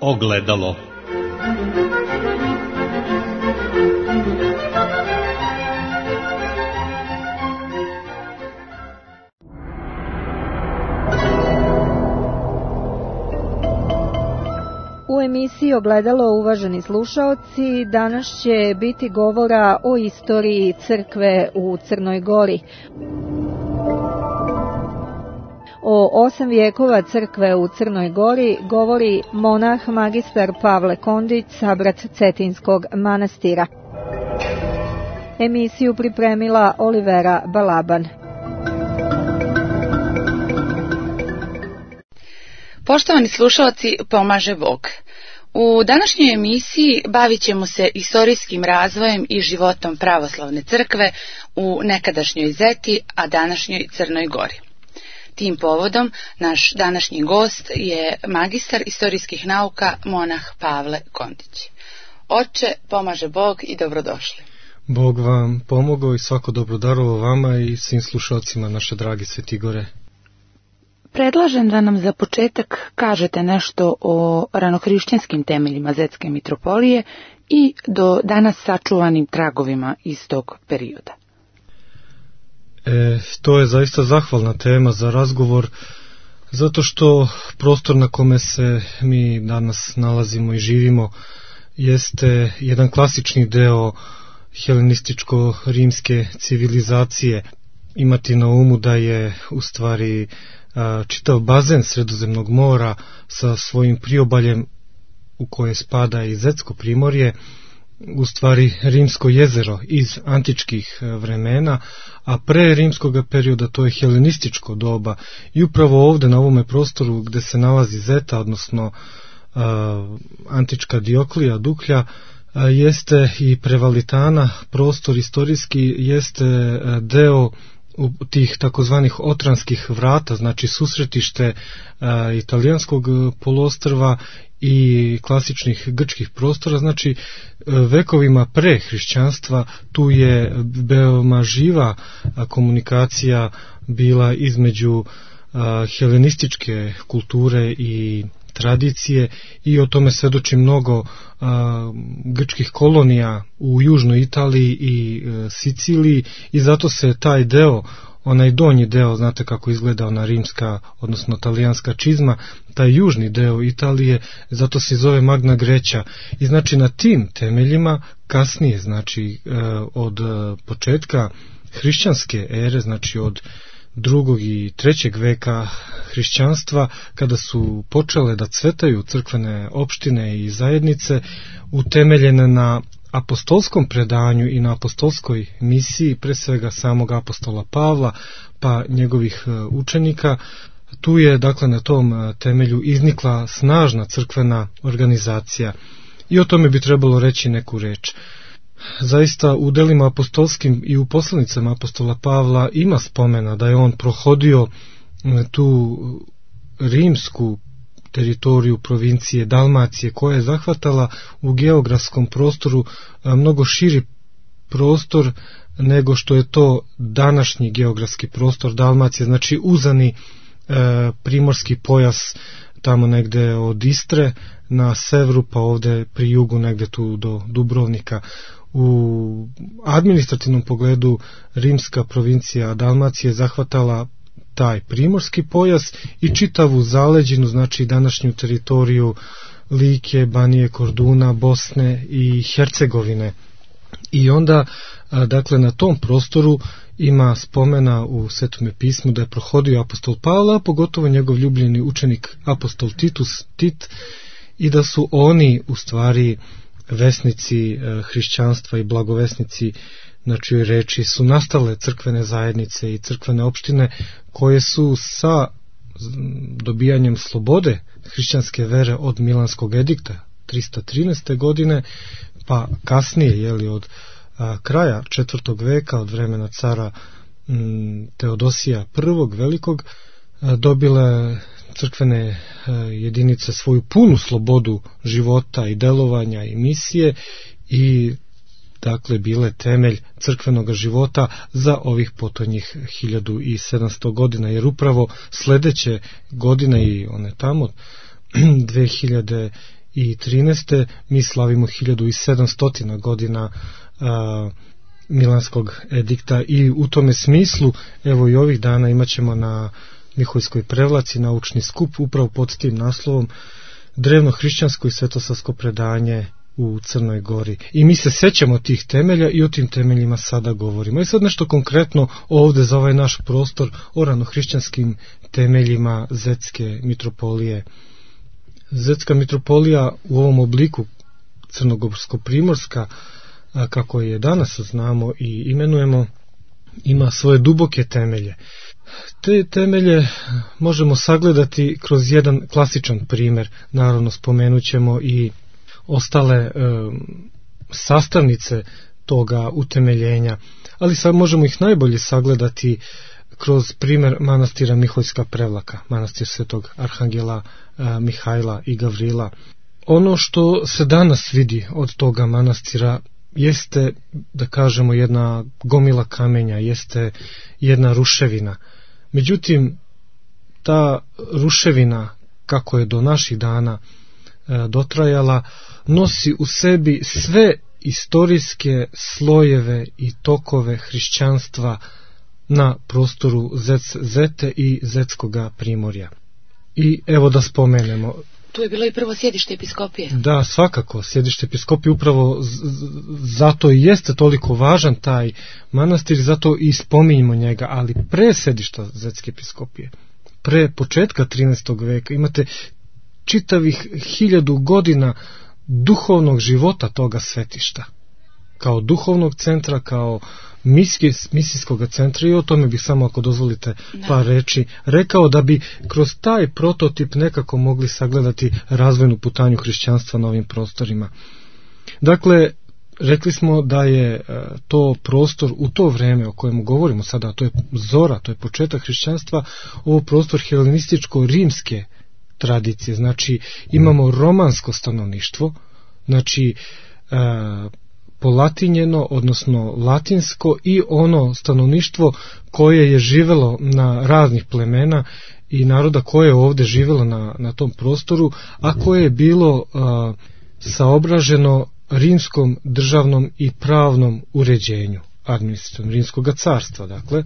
Ogledalo. U emisiji Ogledalo, uvaženi slušaoci, danas će biti govora o istoriji crkve u Crnoj Gori. O 8 vijekova crkve u Crnoj Gori govori monah magistar Pavle Kondić, sabrat Cetinskog manastira. Emisiju pripremila Olivera Balaban. Poštovani slušalci, pomaže Bog. U današnjoj emisiji bavit ćemo se istorijskim razvojem i životom pravoslavne crkve u nekadašnjoj Zeti, a današnjoj Crnoj Gori. Tim povodom naš današnji gost je magistar istorijskih nauka monah Pavle Kondić. Oče, pomaže Bog i dobrodošli. Bog vam pomogao i svako dobrodarovo vama i svim slušalcima naše dragi Svetigore. Predlažem da nam za početak kažete nešto o ranohrišćanskim temeljima Zetske mitropolije i do danas sačuvanim tragovima iz tog perioda. To je zaista zahvalna tema za razgovor, zato što prostor na kome se mi danas nalazimo i živimo jeste jedan klasični deo helenističko-rimske civilizacije. Imati na umu da je u stvari čitav bazen Sredozemnog mora sa svojim priobaljem u koje spada i Zetsko primorje, u stvari rimsko jezero iz antičkih vremena, a pre rimskog perioda to je helenističko doba i upravo ovde na ovome prostoru gde se nalazi Zeta, odnosno antička Dioklija, Duklja, jeste i Prevalitana, prostor istorijski jeste deo tih takozvanih otranskih vrata, znači susretište italijanskog poluostrva i klasičnih grčkih prostora, znači vekovima pre hrišćanstva tu je veoma živa komunikacija bila između helenističke kulture i tradicije i o tome svedoči mnogo grčkih kolonija u južnoj Italiji i Siciliji i zato se taj deo, onaj donji deo, znate kako izgleda ona rimska, odnosno talijanska čizma, taj južni deo Italije, zato se zove Magna Greća i znači na tim temeljima kasnije, znači od početka hrišćanske ere, znači od 2. i 3. veka hrišćanstva, kada su počele da cvetaju crkvene opštine i zajednice utemeljene na apostolskom predanju i na apostolskoj misiji, pre svega samog apostola Pavla pa njegovih učenika, tu je dakle na tom temelju iznikla snažna crkvena organizacija i o tome bi trebalo reći neku reč. Zaista u delima apostolskim i u poslanicama apostola Pavla ima spomena da je on prohodio tu rimsku teritoriju provincije Dalmacije koja je zahvatala u geografskom prostoru mnogo širi prostor nego što je to današnji geografski prostor Dalmacije, znači uzani primorski pojas tamo negde od Istre na severu pa ovde pri jugu negde tu do Dubrovnika. U administrativnom pogledu rimska provincija Dalmacije zahvatala taj primorski pojas i čitavu zaleđinu, znači današnju teritoriju Like, Banije, Korduna, Bosne i Hercegovine. I onda, dakle, na tom prostoru ima spomena u Svetome pismu da je prohodio apostol Pavla, pogotovo njegov ljubljeni učenik apostol Tit, i da su oni u stvari vesnici hrišćanstva i blagovesnici, na čijoj reči su nastale crkvene zajednice i crkvene opštine koje su sa dobijanjem slobode hrišćanske vere od Milanskog edikta 313. godine, pa kasnije od kraja 4. veka, od vremena cara Teodosija I. Velikog, dobile crkvene jedinice svoju punu slobodu života i delovanja i misije i dakle bile temelj crkvenog života za ovih potonjih 1700 godina, jer upravo sledeće godine i one tamo 2000 1713. Mi slavimo 1700 godina Milanskog edikta i u tome smislu, evo i ovih dana imat ćemo na Miholjskoj Prevlaci naučni skup upravo pod tim naslovom Drevno hrišćansko i svetosavsko predanje u Crnoj Gori. I mi se sećamo tih temelja i o tim temeljima sada govorimo. I sad nešto konkretno ovde za ovaj naš prostor o ranohrišćanskim temeljima Zetske mitropolije. Zetska mitropolija u ovom obliku crnogorsko-primorska, kako je danas znamo i imenujemo, ima svoje duboke temelje. Te temelje možemo sagledati kroz jedan klasičan primer. Naravno spomenut ćemo i ostale sastavnice toga utemeljenja, ali sad možemo ih najbolje sagledati kroz primer manastira Miholjska Prevlaka, manastir Svetog Arhangela Mihajla i Gavrila. Ono što se danas vidi od toga manastira jeste, da kažemo, jedna gomila kamenja, jeste jedna ruševina. Međutim, ta ruševina, kako je do naših dana dotrajala, nosi u sebi sve istorijske slojeve i tokove hrišćanstva na prostoru Zete i Zetskoga primorja. I evo da spomenemo. Tu je bilo i prvo sjedište episkopije. Da, svakako, sjedište episkopije, upravo zato i jeste toliko važan taj manastir, zato i spominjemo njega, ali pre sjedišta Zetske episkopije, pre početka 13. veka, imate čitavih 1000 godina duhovnog života toga svetišta, kao duhovnog centra, kao misijskog centra, i o tome bih samo, ako dozvolite, par reči rekao, da bi kroz taj prototip nekako mogli sagledati razvojnu putanju hrišćanstva na ovim prostorima. Dakle, rekli smo da je to prostor u to vreme o kojemu govorimo sada, to je zora, to je početak hrišćanstva, ovo prostor helenističko-rimske tradicije, znači imamo romansko stanovništvo, znači polatinjeno, odnosno latinsko, i ono stanovništvo koje je živelo na raznih plemena i naroda koje je ovde živelo na tom prostoru, a koje je bilo saobraženo rimskom državnom i pravnom uređenju, administrativnom rimskog carstva. Dakle,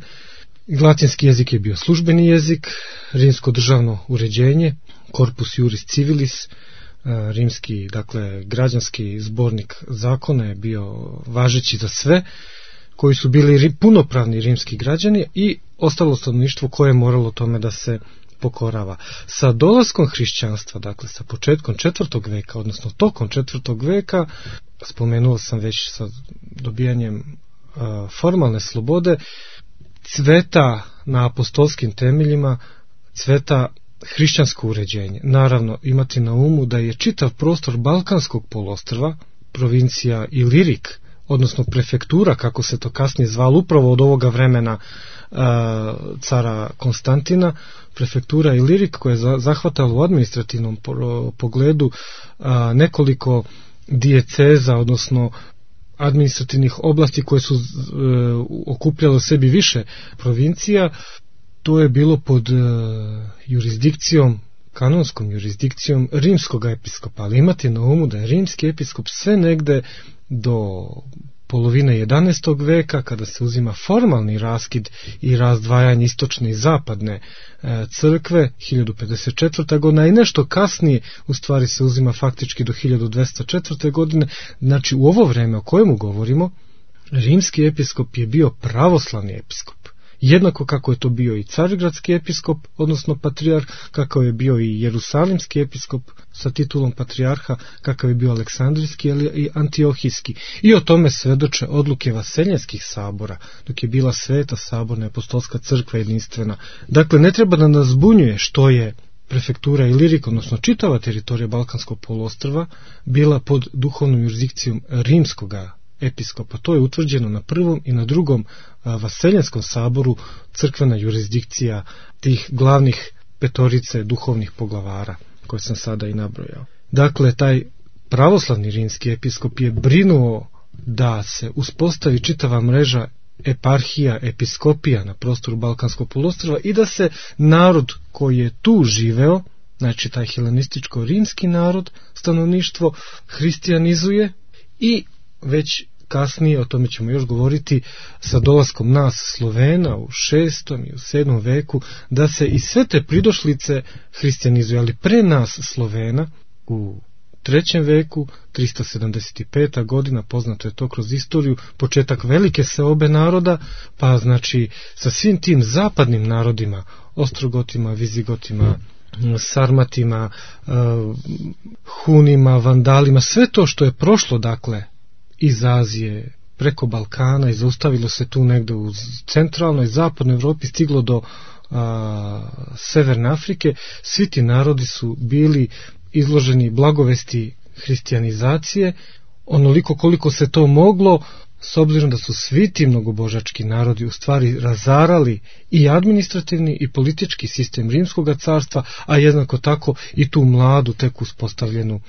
latinski jezik je bio službeni jezik, rimsko državno uređenje, corpus juris civilis, rimski, dakle, građanski zbornik zakona je bio važeći za sve koji su bili punopravni rimski građani i ostalo stanovništvo koje je moralo tome da se pokorava. Sa dolaskom hrišćanstva, dakle sa početkom 4. veka, odnosno tokom 4. veka, spomenuo sam već sa dobijanjem formalne slobode, cveta na apostolskim temeljima, cveta hrišćansko uređenje. Naravno, imati na umu da je čitav prostor Balkanskog poluostrva, provincija Ilirik, odnosno prefektura, kako se to kasnije zvalo, upravo od ovoga vremena cara Konstantina, prefektura Ilirik, koja je zahvatala u administrativnom pogledu nekoliko dijeceza, odnosno administrativnih oblasti koje su okupljale u sebi više provincija. To je bilo pod jurisdikcijom, kanonskom jurisdikcijom rimskog episkopa, ali imate na umu da je rimski episkop sve negde do polovine 11. veka, kada se uzima formalni raskid i razdvajanje istočne i zapadne crkve, 1054. godina, i nešto kasnije u stvari se uzima faktički do 1204. godine. Znači, u ovo vreme o kojemu govorimo, rimski episkop je bio pravoslavni episkop. Jednako kako je to bio i carigradski episkop, odnosno patrijarh, kakav je bio i jerusalimski episkop sa titulom patrijarha, kakav je bio aleksandrijski i antiohijski. I o tome svedoče odluke vaseljenskih sabora, dok je bila sveta saborna apostolska crkva jedinstvena. Dakle, ne treba da nas zbunjuje što je prefektura Ilirik, odnosno čitava teritorija Balkanskog poluostrva, bila pod duhovnom jurisdikcijom rimskoga episkopa. To je utvrđeno na prvom i na drugom vaseljenskom saboru, crkvena jurisdikcija tih glavnih petorice duhovnih poglavara koje sam sada i nabrojao. Dakle, taj pravoslavni rimski episkop je brinuo da se uspostavi čitava mreža eparhija, episkopija na prostoru Balkanskog poluostrva i da se narod koji je tu živeo, znači taj helenističko-rimski narod, stanovništvo hristijanizuje i već kasnije, o tome ćemo još govoriti, sa dolaskom nas Slovena u 6. i u 7. veku, da se i sve te pridošlice hristijanizuje, ali pre nas Slovena u 3. veku, 375. godina, poznato je to kroz istoriju, početak velike seobe naroda, pa znači sa svim tim zapadnim narodima, Ostrogotima, Vizigotima, Sarmatima, Hunima, Vandalima, sve to što je prošlo, dakle, iz Azije, preko Balkana i zaustavilo se tu negde u centralnoj, zapadnoj Evropi, stiglo do Severne Afrike, svi ti narodi su bili izloženi blagovesti hrišćanizacije, onoliko koliko se to moglo, s obzirom da su svi ti mnogobožački narodi u stvari razarali i administrativni i politički sistem Rimskog carstva, a jednako tako i tu mladu, tek uspostavljenu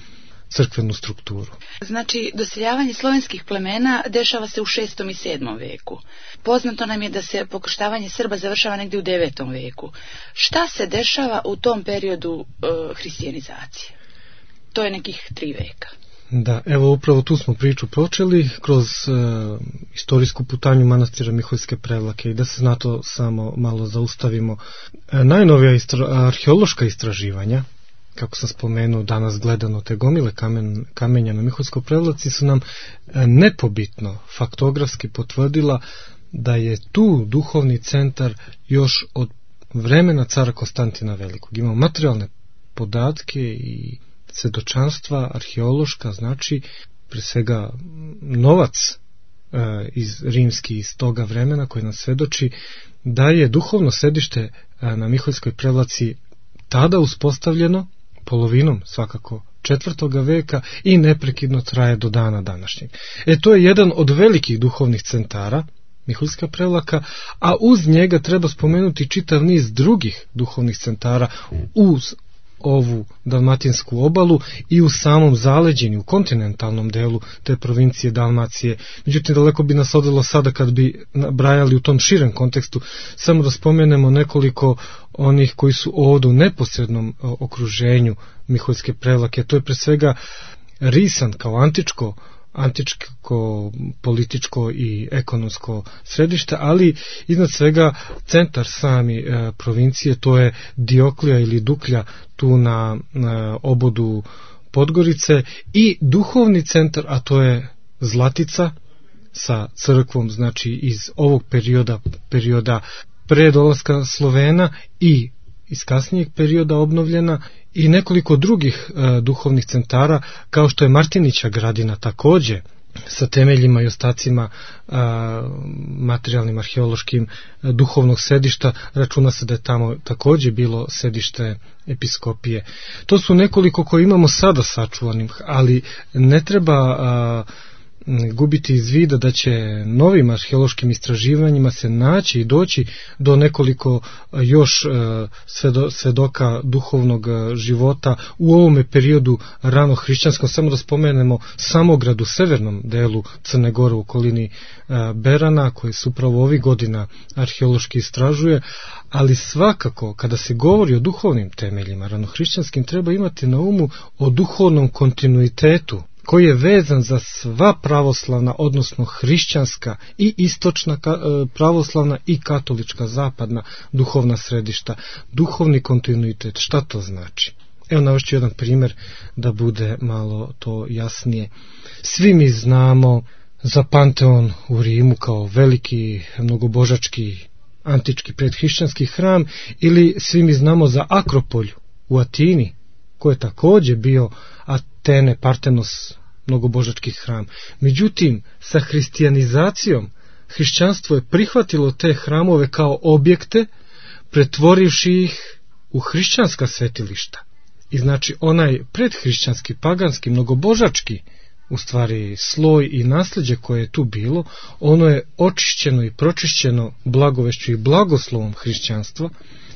crkvenu strukturu. Znači, doseljavanje slovenskih plemena dešava se u 6. i 7. veku. Poznato nam je da se pokrštavanje Srba završava negdje u 9. veku. Šta se dešava u tom periodu hrišćanizacije? To je nekih 3 veka. Da, evo upravo tu smo priču počeli kroz istorijsku putanju manastira Miholjske Prevlake i da se na to samo malo zaustavimo. Najnovija arheološka istraživanja, kako sam spomenuo, danas gledano te gomile kamenja na Miholjskoj Prevlaci, su nam nepobitno faktografski potvrdila da je tu duhovni centar još od vremena cara Konstantina Velikog. Imamo materijalne podatke i svedočanstva arheološka, znači pre svega novac iz rimski iz toga vremena koji nam svedoči da je duhovno sedište na Miholjskoj Prevlaci tada uspostavljeno polovinom svakako 4. veka i neprekidno traje do dana današnjeg. To je jedan od velikih duhovnih centara, Miholjska Prevlaka, a uz njega treba spomenuti čitav niz drugih duhovnih centara uz ovu dalmatinsku obalu i u samom zaleđenju, u kontinentalnom delu te provincije Dalmacije. Međutim, daleko bi nas odvelo sada kad bi nabrajali u tom širem kontekstu, samo da spomenemo nekoliko onih koji su ovdje u neposrednom okruženju Miholjske Prevlake. To je pre svega Risan kao antičko političko i ekonomsko središte, ali iznad svega centar sami provincije, to je Dioklija ili Duklja tu na obodu Podgorice, i duhovni centar, a to je Zlatica sa crkvom, znači iz ovog perioda pre dolaska Slovena i iz kasnijeg perioda obnovljena, i nekoliko drugih duhovnih centara, kao što je Martinića Gradina, takođe sa temeljima i ostacima materijalnim, arheološkim, duhovnog sedišta. Računa se da je tamo takođe bilo sedište episkopije. To su nekoliko koje imamo sada sačuvanih, ali ne treba gubiti iz vida da će novim arheološkim istraživanjima se naći i doći do nekoliko još svedoka duhovnog života u ovome periodu rano hrišćanskom. Samo da spomenemo Samograd u severnom delu Crne Gore u okolini Berana, koji se upravo ovih godina arheološki istražuje, ali svakako kada se govori o duhovnim temeljima ranohrišćanskim treba imati na umu o duhovnom kontinuitetu koji je vezan za sva pravoslavna, odnosno hrišćanska i istočna pravoslavna i katolička zapadna duhovna središta. Duhovni kontinuitet, šta to znači? Evo navešću jedan primjer da bude malo to jasnije. Svi mi znamo za Panteon u Rimu kao veliki mnogobožački antički predhrišćanski hram, ili svi mi znamo za Akropolj u Atini, koji je također bio Atene, Partenos, mnogobožački hram. Međutim, sa hrišćanizacijom hrišćanstvo je prihvatilo te hramove kao objekte, pretvorivši ih u hrišćanska svetilišta. I znači onaj predhrišćanski, paganski, mnogobožački u stvari sloj i nasljeđe koje je tu bilo, ono je očišćeno i pročišćeno blagovešću i blagoslovom hrišćanstva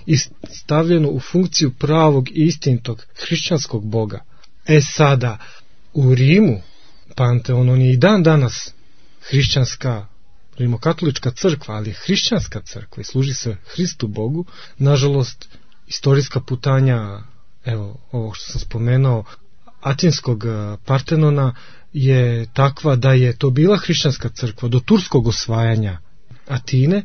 i stavljeno u funkciju pravog i istinitog hrišćanskog Boga. Sada, u Rimu, Panteon, on je i dan danas hrišćanska, rimokatolička crkva, ali je hrišćanska crkva i služi se Hristu Bogu. Nažalost, istorijska putanja evo, ovo što sam spomenuo, Atinskog Partenona je takva da je to bila hrišćanska crkva do turskog osvajanja Atine,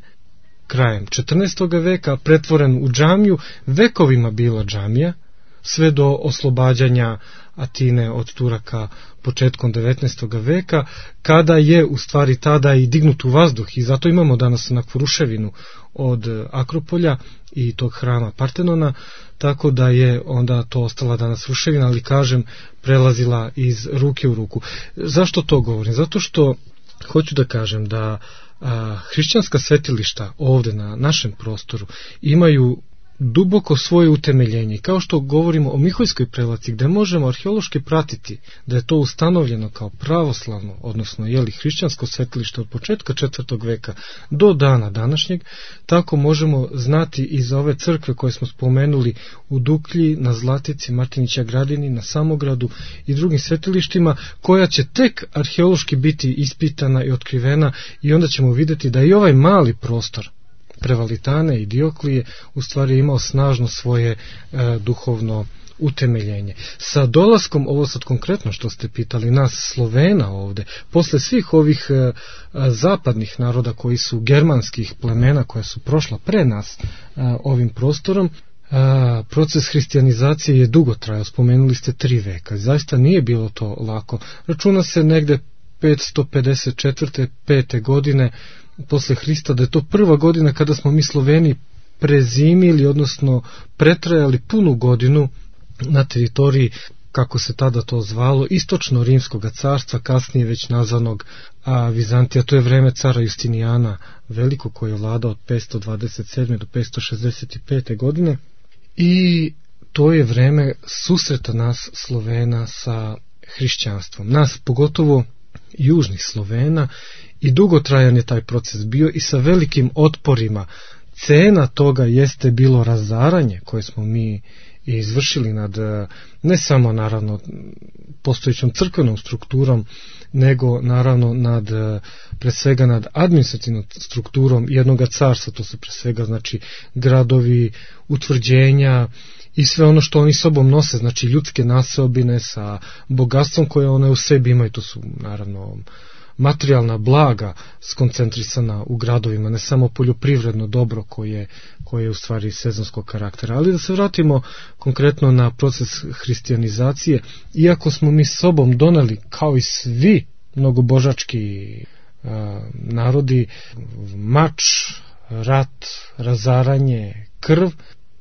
krajem 14. veka, pretvoren u džamiju, vekovima bila džamija, sve do oslobađanja Atine od Turaka početkom 19. veka, kada je u stvari tada i dignut u vazduh, i zato imamo danas onakvu ruševinu od Akropolja i tog hrama Partenona, tako da je onda to ostala danas ruševina, ali kažem, prelazila iz ruke u ruku. Zašto to govorim? Zato što hoću da kažem da hrišćanska svetilišta ovde na našem prostoru imaju duboko svoje utemeljenje. Kao što govorimo o Miholjskoj prelaci, gde možemo arheološki pratiti da je to ustanovljeno kao pravoslavno, odnosno hrišćansko svetilište od početka 4. veka do dana današnjeg, tako možemo znati i za ove crkve koje smo spomenuli u Duklji, na Zlatici, Martinića Gradini, na Samogradu i drugim svetilištima, koja će tek arheološki biti ispitana i otkrivena, i onda ćemo vidjeti da i ovaj mali prostor Prevalitane i Dioklije u stvari imao snažno svoje duhovno utemeljenje. Sa dolaskom, ovo sad konkretno što ste pitali, nas Slovena ovde, posle svih ovih zapadnih naroda koji su germanskih plemena koja su prošla pre nas ovim prostorom, proces hrišćanizacije je dugo trajao, spomenuli ste 3 veka, zaista nije bilo to lako. Računa se negde 554. 5. godine posle Hrista, da je to prva godina kada smo mi Sloveni prezimili, odnosno pretrajali punu godinu na teritoriji, kako se tada to zvalo, istočno-rimskog carstva, kasnije već nazvanog Vizantija. To je vreme cara Justinijana Velikog, koji je vladao od 527. do 565. godine, i to je vreme susreta nas Slovena sa hrišćanstvom. Nas, pogotovo južnih Slovena, i dugotrajan je taj proces bio i sa velikim otporima. Cena toga jeste bilo razaranje koje smo mi izvršili nad, ne samo naravno postojećom crkvenom strukturom, nego naravno nad, pre svega nad administrativnom strukturom jednog carstva. To su pre svega znači gradovi, utvrđenja i sve ono što oni sobom nose, znači ljudske naseobine sa bogatstvom koje one u sebi imaju. To su naravno materijalna blaga skoncentrisana u gradovima, ne samo poljoprivredno dobro koje je u stvari sezonskog karaktera. Ali da se vratimo konkretno na proces hrišćanizacije, iako smo mi sobom doneli, kao i svi mnogobožački narodi, mač, rat, razaranje, krv,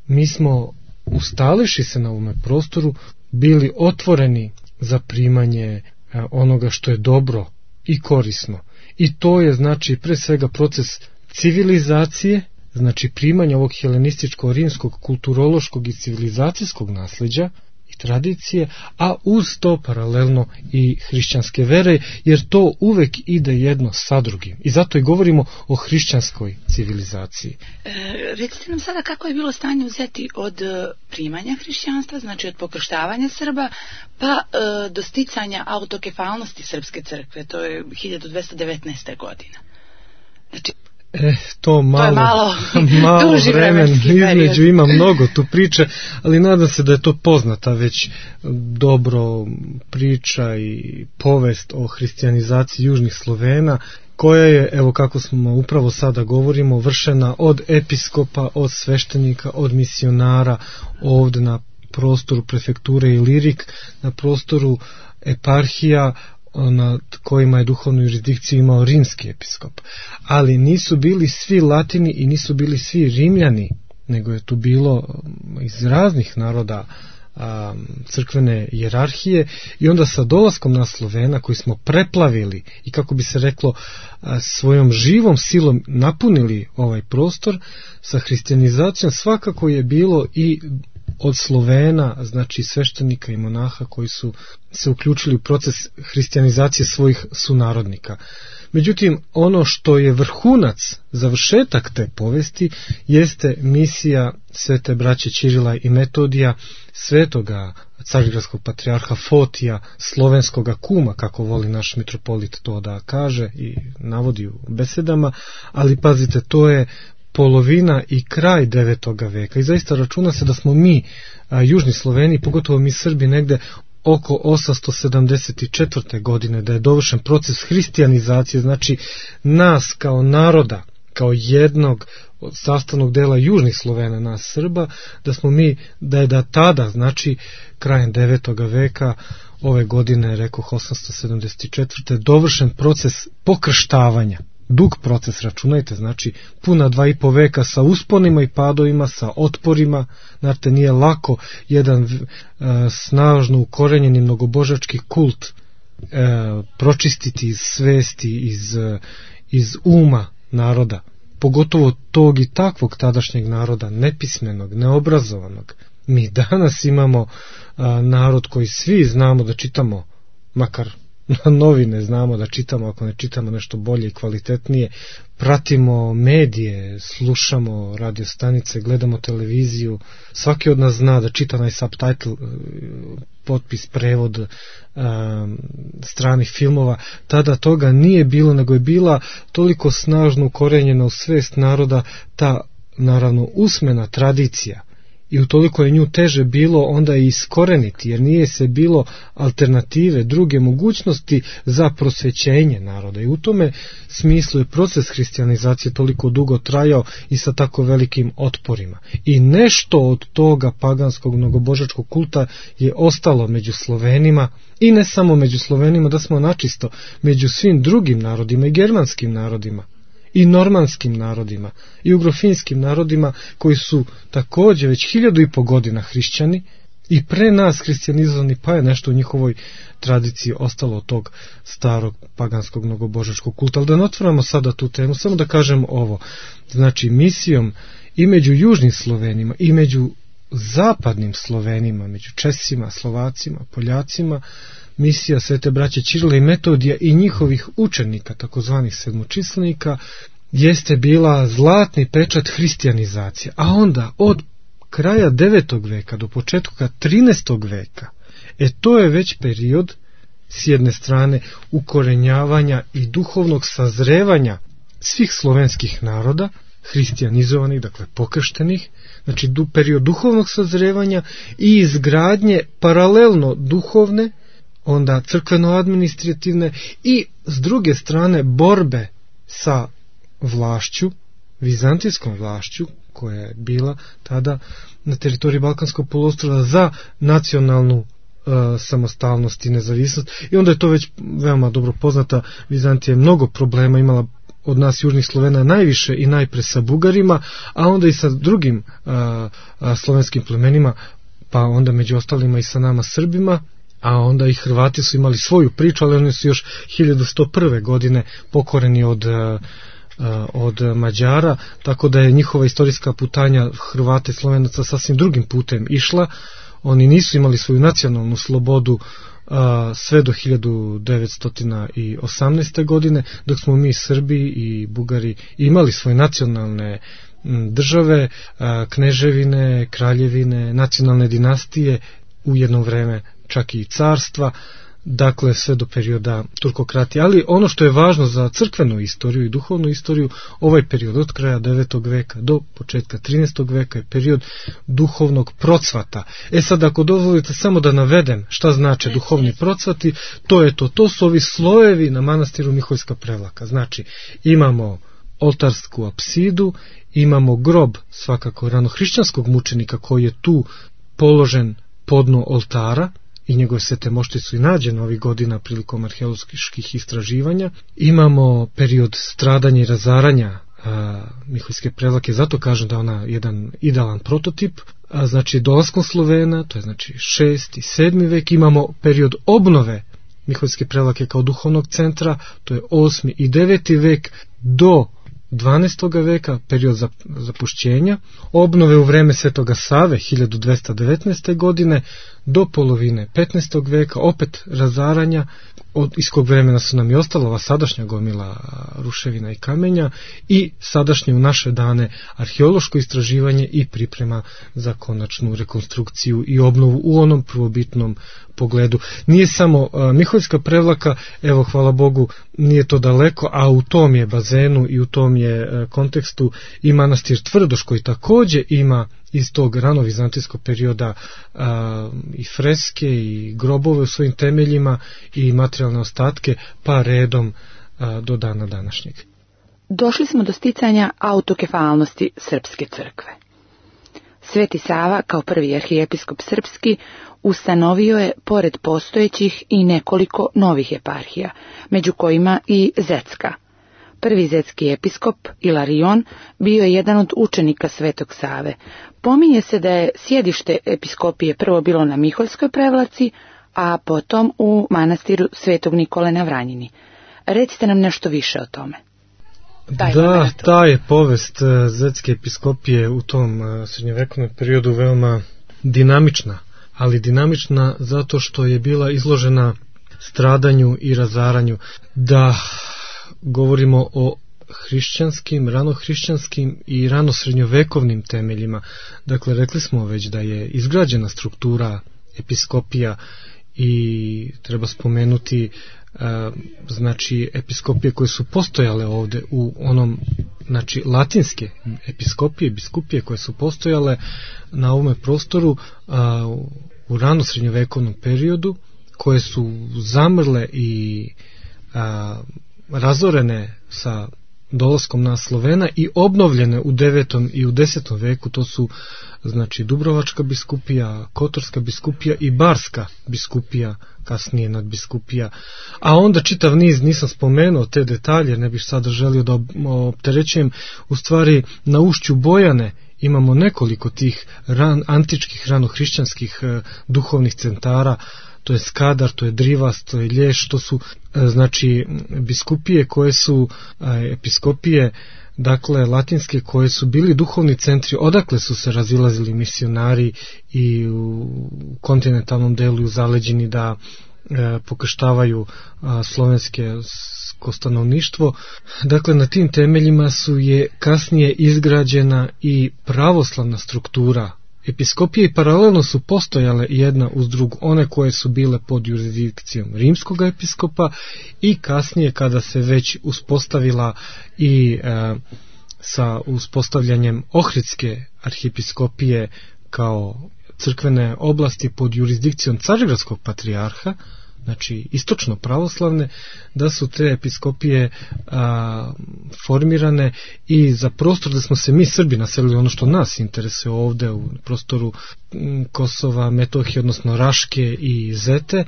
mi smo, ustališi se na ovome prostoru, bili otvoreni za primanje onoga što je dobro i korisno. I to je znači pre svega proces civilizacije, znači primanja ovog helenističko-rimskog kulturološkog i civilizacijskog nasleđa i tradicije, a uz to paralelno i hrišćanske vere, jer to uvek ide jedno sa drugim. I zato i govorimo o hrišćanskoj civilizaciji. Recite nam sada kako je bilo stanje u Zeti od primanja hrišćanstva, znači od pokrštavanja Srba, pa do sticanja autokefalnosti Srpske crkve, to je 1219. godina. Znači, to malo vremen između, ima mnogo tu priče, ali nadam se da je to poznata već dobro priča i povest o hrišćanizaciji južnih Slovena, koja je, evo kako smo upravo sada govorimo, vršena od episkopa, od sveštenika, od misionara ovde na prostoru prefekture Ilirik, na prostoru eparhija nad kojima je duhovnu jurisdikciju imao rimski episkop. Ali nisu bili svi Latini i nisu bili svi Rimljani, nego je tu bilo iz raznih naroda crkvene hijerarhije, i onda sa dolaskom na Slovena, koji smo preplavili i, kako bi se reklo, svojom živom silom napunili ovaj prostor, sa hrišćanizacijom svakako je bilo i od Slovena, znači sveštenika i monaha koji su se uključili u proces hrišćanizacije svojih sunarodnika. Međutim, ono što je vrhunac, završetak te povesti, jeste misija svete braće Ćirila i Metodija, svetoga carigradskog patrijarha Fotija, slovenskoga kuma, kako voli naš mitropolit to da kaže i navodi u besedama, ali pazite, to je polovina i kraj 9. veka. I zaista računa se da smo mi, južni Sloveni, pogotovo mi Srbi, negde oko 874. godine, da je dovršen proces hristijanizacije, znači nas kao naroda, kao jednog sastavnog dela južnih Slovena, nas Srba, da smo mi, da je da tada, znači krajem 9. veka, ove godine, rekoh 874. dovršen proces pokrštavanja. Dug proces, računajte, znači puna 2,5 veka sa usponima i padovima, sa otporima. Znate, nije lako jedan snažno ukorenjeni mnogobožački kult pročistiti iz svesti, iz uma naroda, pogotovo tog i takvog tadašnjeg naroda, nepismenog, neobrazovanog. Mi danas imamo narod koji svi znamo da čitamo, makar novine znamo da čitamo, ako ne čitamo nešto bolje i kvalitetnije, pratimo medije, slušamo radio stanice, gledamo televiziju, svaki od nas zna da čita onaj subtitle, potpis, prevod stranih filmova. Tada toga nije bilo, nego je bila toliko snažno ukorenjena u svest naroda ta, naravno, usmena tradicija. I utoliko je nju teže bilo onda i iskoreniti, jer nije se bilo alternative, druge mogućnosti za prosvećenje naroda. I u tome smislu je proces hristijanizacije toliko dugo trajao i sa tako velikim otporima. I nešto od toga paganskog mnogobožačkog kulta je ostalo među Slovenima, i ne samo među Slovenima, da smo načisto, među svim drugim narodima i germanskim narodima, i normanskim narodima, i ugrofinskim narodima, koji su također već 1500 godina hrišćani i pre nas hristijanizovani, pa je nešto u njihovoj tradiciji ostalo od tog starog paganskog mnogobožačkog kulta. Ali da ne otvaramo sada tu temu, samo da kažem ovo. Znači, misijom i među južnim Slovenima i među zapadnim Slovenima, među Česima, Slovacima, Poljacima, misija Svete braće Ćirila i Metodija i njihovih učenika, takozvanih sedmočislenika, jeste bila zlatni pečat hrijstijanizacije. A onda od kraja 9. veka do početka 13. veka, to je već period, s jedne strane, ukorenjavanja i duhovnog sazrevanja svih slovenskih naroda, hristijanizovanih, dakle pokrštenih, znači period duhovnog sazrevanja i izgradnje paralelno duhovne, onda crkveno-administrativne i s druge strane borbe sa vlašću, vizantijskom vlašću, koja je bila tada na teritoriji Balkanskog poluostrva za nacionalnu samostalnost i nezavisnost. I onda je to već veoma dobro poznata. Vizantija je mnogo problema imala, od nas južnih Slovena najviše i najpre sa Bugarima, a onda i sa drugim slovenskim plemenima, pa onda među ostalima i sa nama Srbima. A onda i Hrvati su imali svoju priču, ali oni su još 1101. godine pokoreni od Mađara, tako da je njihova istorijska putanja Hrvata i Slovenaca sasvim drugim putem išla. Oni nisu imali svoju nacionalnu slobodu sve do 1918. godine, dok smo mi Srbi i Bugari imali svoje nacionalne države, kneževine, kraljevine, nacionalne dinastije, u jedno vreme čak i carstva, dakle sve do perioda turkokratije. Ali ono što je važno za crkvenu istoriju i duhovnu istoriju, ovaj period od kraja 9. veka do početka 13. veka je period duhovnog procvata. Sad, ako dozvolite samo da navedem šta znače duhovni procvati, to su ovi slojevi na manastiru Miholjska Prevlaka. Znači, imamo oltarsku apsidu, imamo grob svakako ranohrišćanskog mučenika koji je tu položen podno oltara, i njegove svete mošte su i nađene ovih godina prilikom arheoloških istraživanja. Imamo period stradanja i razaranja Miholjske Prevlake, zato kažem da ona jedan idealan prototip. Znači dolaskom Slovena, to je znači 6. i 7. vek, imamo period obnove Miholjske Prevlake kao duhovnog centra, to je 8. i 9. vek do 12. veka, period zapušćenja, obnove u vreme Svetoga Save 1219. godine do polovine 15. veka, opet razaranja, iz kog vremena su nam i ostala ova sadašnja gomila ruševina i kamenja i sadašnje u naše dane arheološko istraživanje i priprema za konačnu rekonstrukciju i obnovu u onom prvobitnom pogledu. Nije samo Miholjska Prevlaka, evo hvala Bogu nije to daleko, a u tom je bazenu i u tom je kontekstu i manastir Tvrdoš koji također ima iz tog ranovizantijskog perioda i freske i grobove u svojim temeljima i materijalne ostatke pa redom do dana današnjeg. Došli smo do sticanja autokefalnosti Srpske crkve. Sveti Sava, kao prvi arhijepiskop srpski, ustanovio je, pored postojećih, i nekoliko novih eparhija, među kojima i Zetska. Prvi zetski episkop, Ilarion, bio je jedan od učenika Svetog Save. Pominje se da je sjedište episkopije prvo bilo na Miholjskoj Prevlaci, a potom u manastiru Svetog Nikole na Vranjini. Recite nam nešto više o tome. Da, ta je povest zetske episkopije u tom srednjevekovnom periodu veoma dinamična, ali dinamična zato što je bila izložena stradanju i razaranju. Da govorimo o hrišćanskim, ranohrišćanskim i ranosrednjovekovnim temeljima. Dakle, rekli smo već da je izgrađena struktura episkopija i treba spomenuti znači episkopije koje su postojale ovdje u onom, znači latinske episkopije, biskupije koje su postojale na ovome prostoru u ranosrednjovekovnom periodu, koje su zamrle i razorene sa dolaskom na Slovena i obnovljene u 9. i u 10. veku. To su znači Dubrovačka biskupija, Kotorska biskupija i Barska biskupija, kasnije nadbiskupija. A onda čitav niz, nisam spomenuo te detalje, ne bih sada želio da opterećujem, u stvari na ušću Bojane imamo nekoliko tih antičkih ranohrišćanskih duhovnih centara. To je Skadar, to je Drivas, to je Lješ, to su znači biskupije koje su episkopije, dakle latinske, koje su bili duhovni centri, odakle su se razilazili misionari i u kontinentalnom delu i u zaleđini da pokrštavaju slovensko stanovništvo. Dakle, na tim temeljima su je kasnije izgrađena i pravoslavna struktura episkopije i paralelno su postojale jedna uz drugu, one koje su bile pod jurisdikcijom rimskog episkopa i kasnije kada se već uspostavila i sa uspostavljanjem Ohridske arhiepiskopije kao crkvene oblasti pod jurisdikcijom Carigradskog patrijarha, znači istočno pravoslavne, da su te episkopije formirane i za prostor da smo se mi Srbi naselili, ono što nas interesuje ovdje u prostoru Kosova, Metohije, odnosno Raške i Zete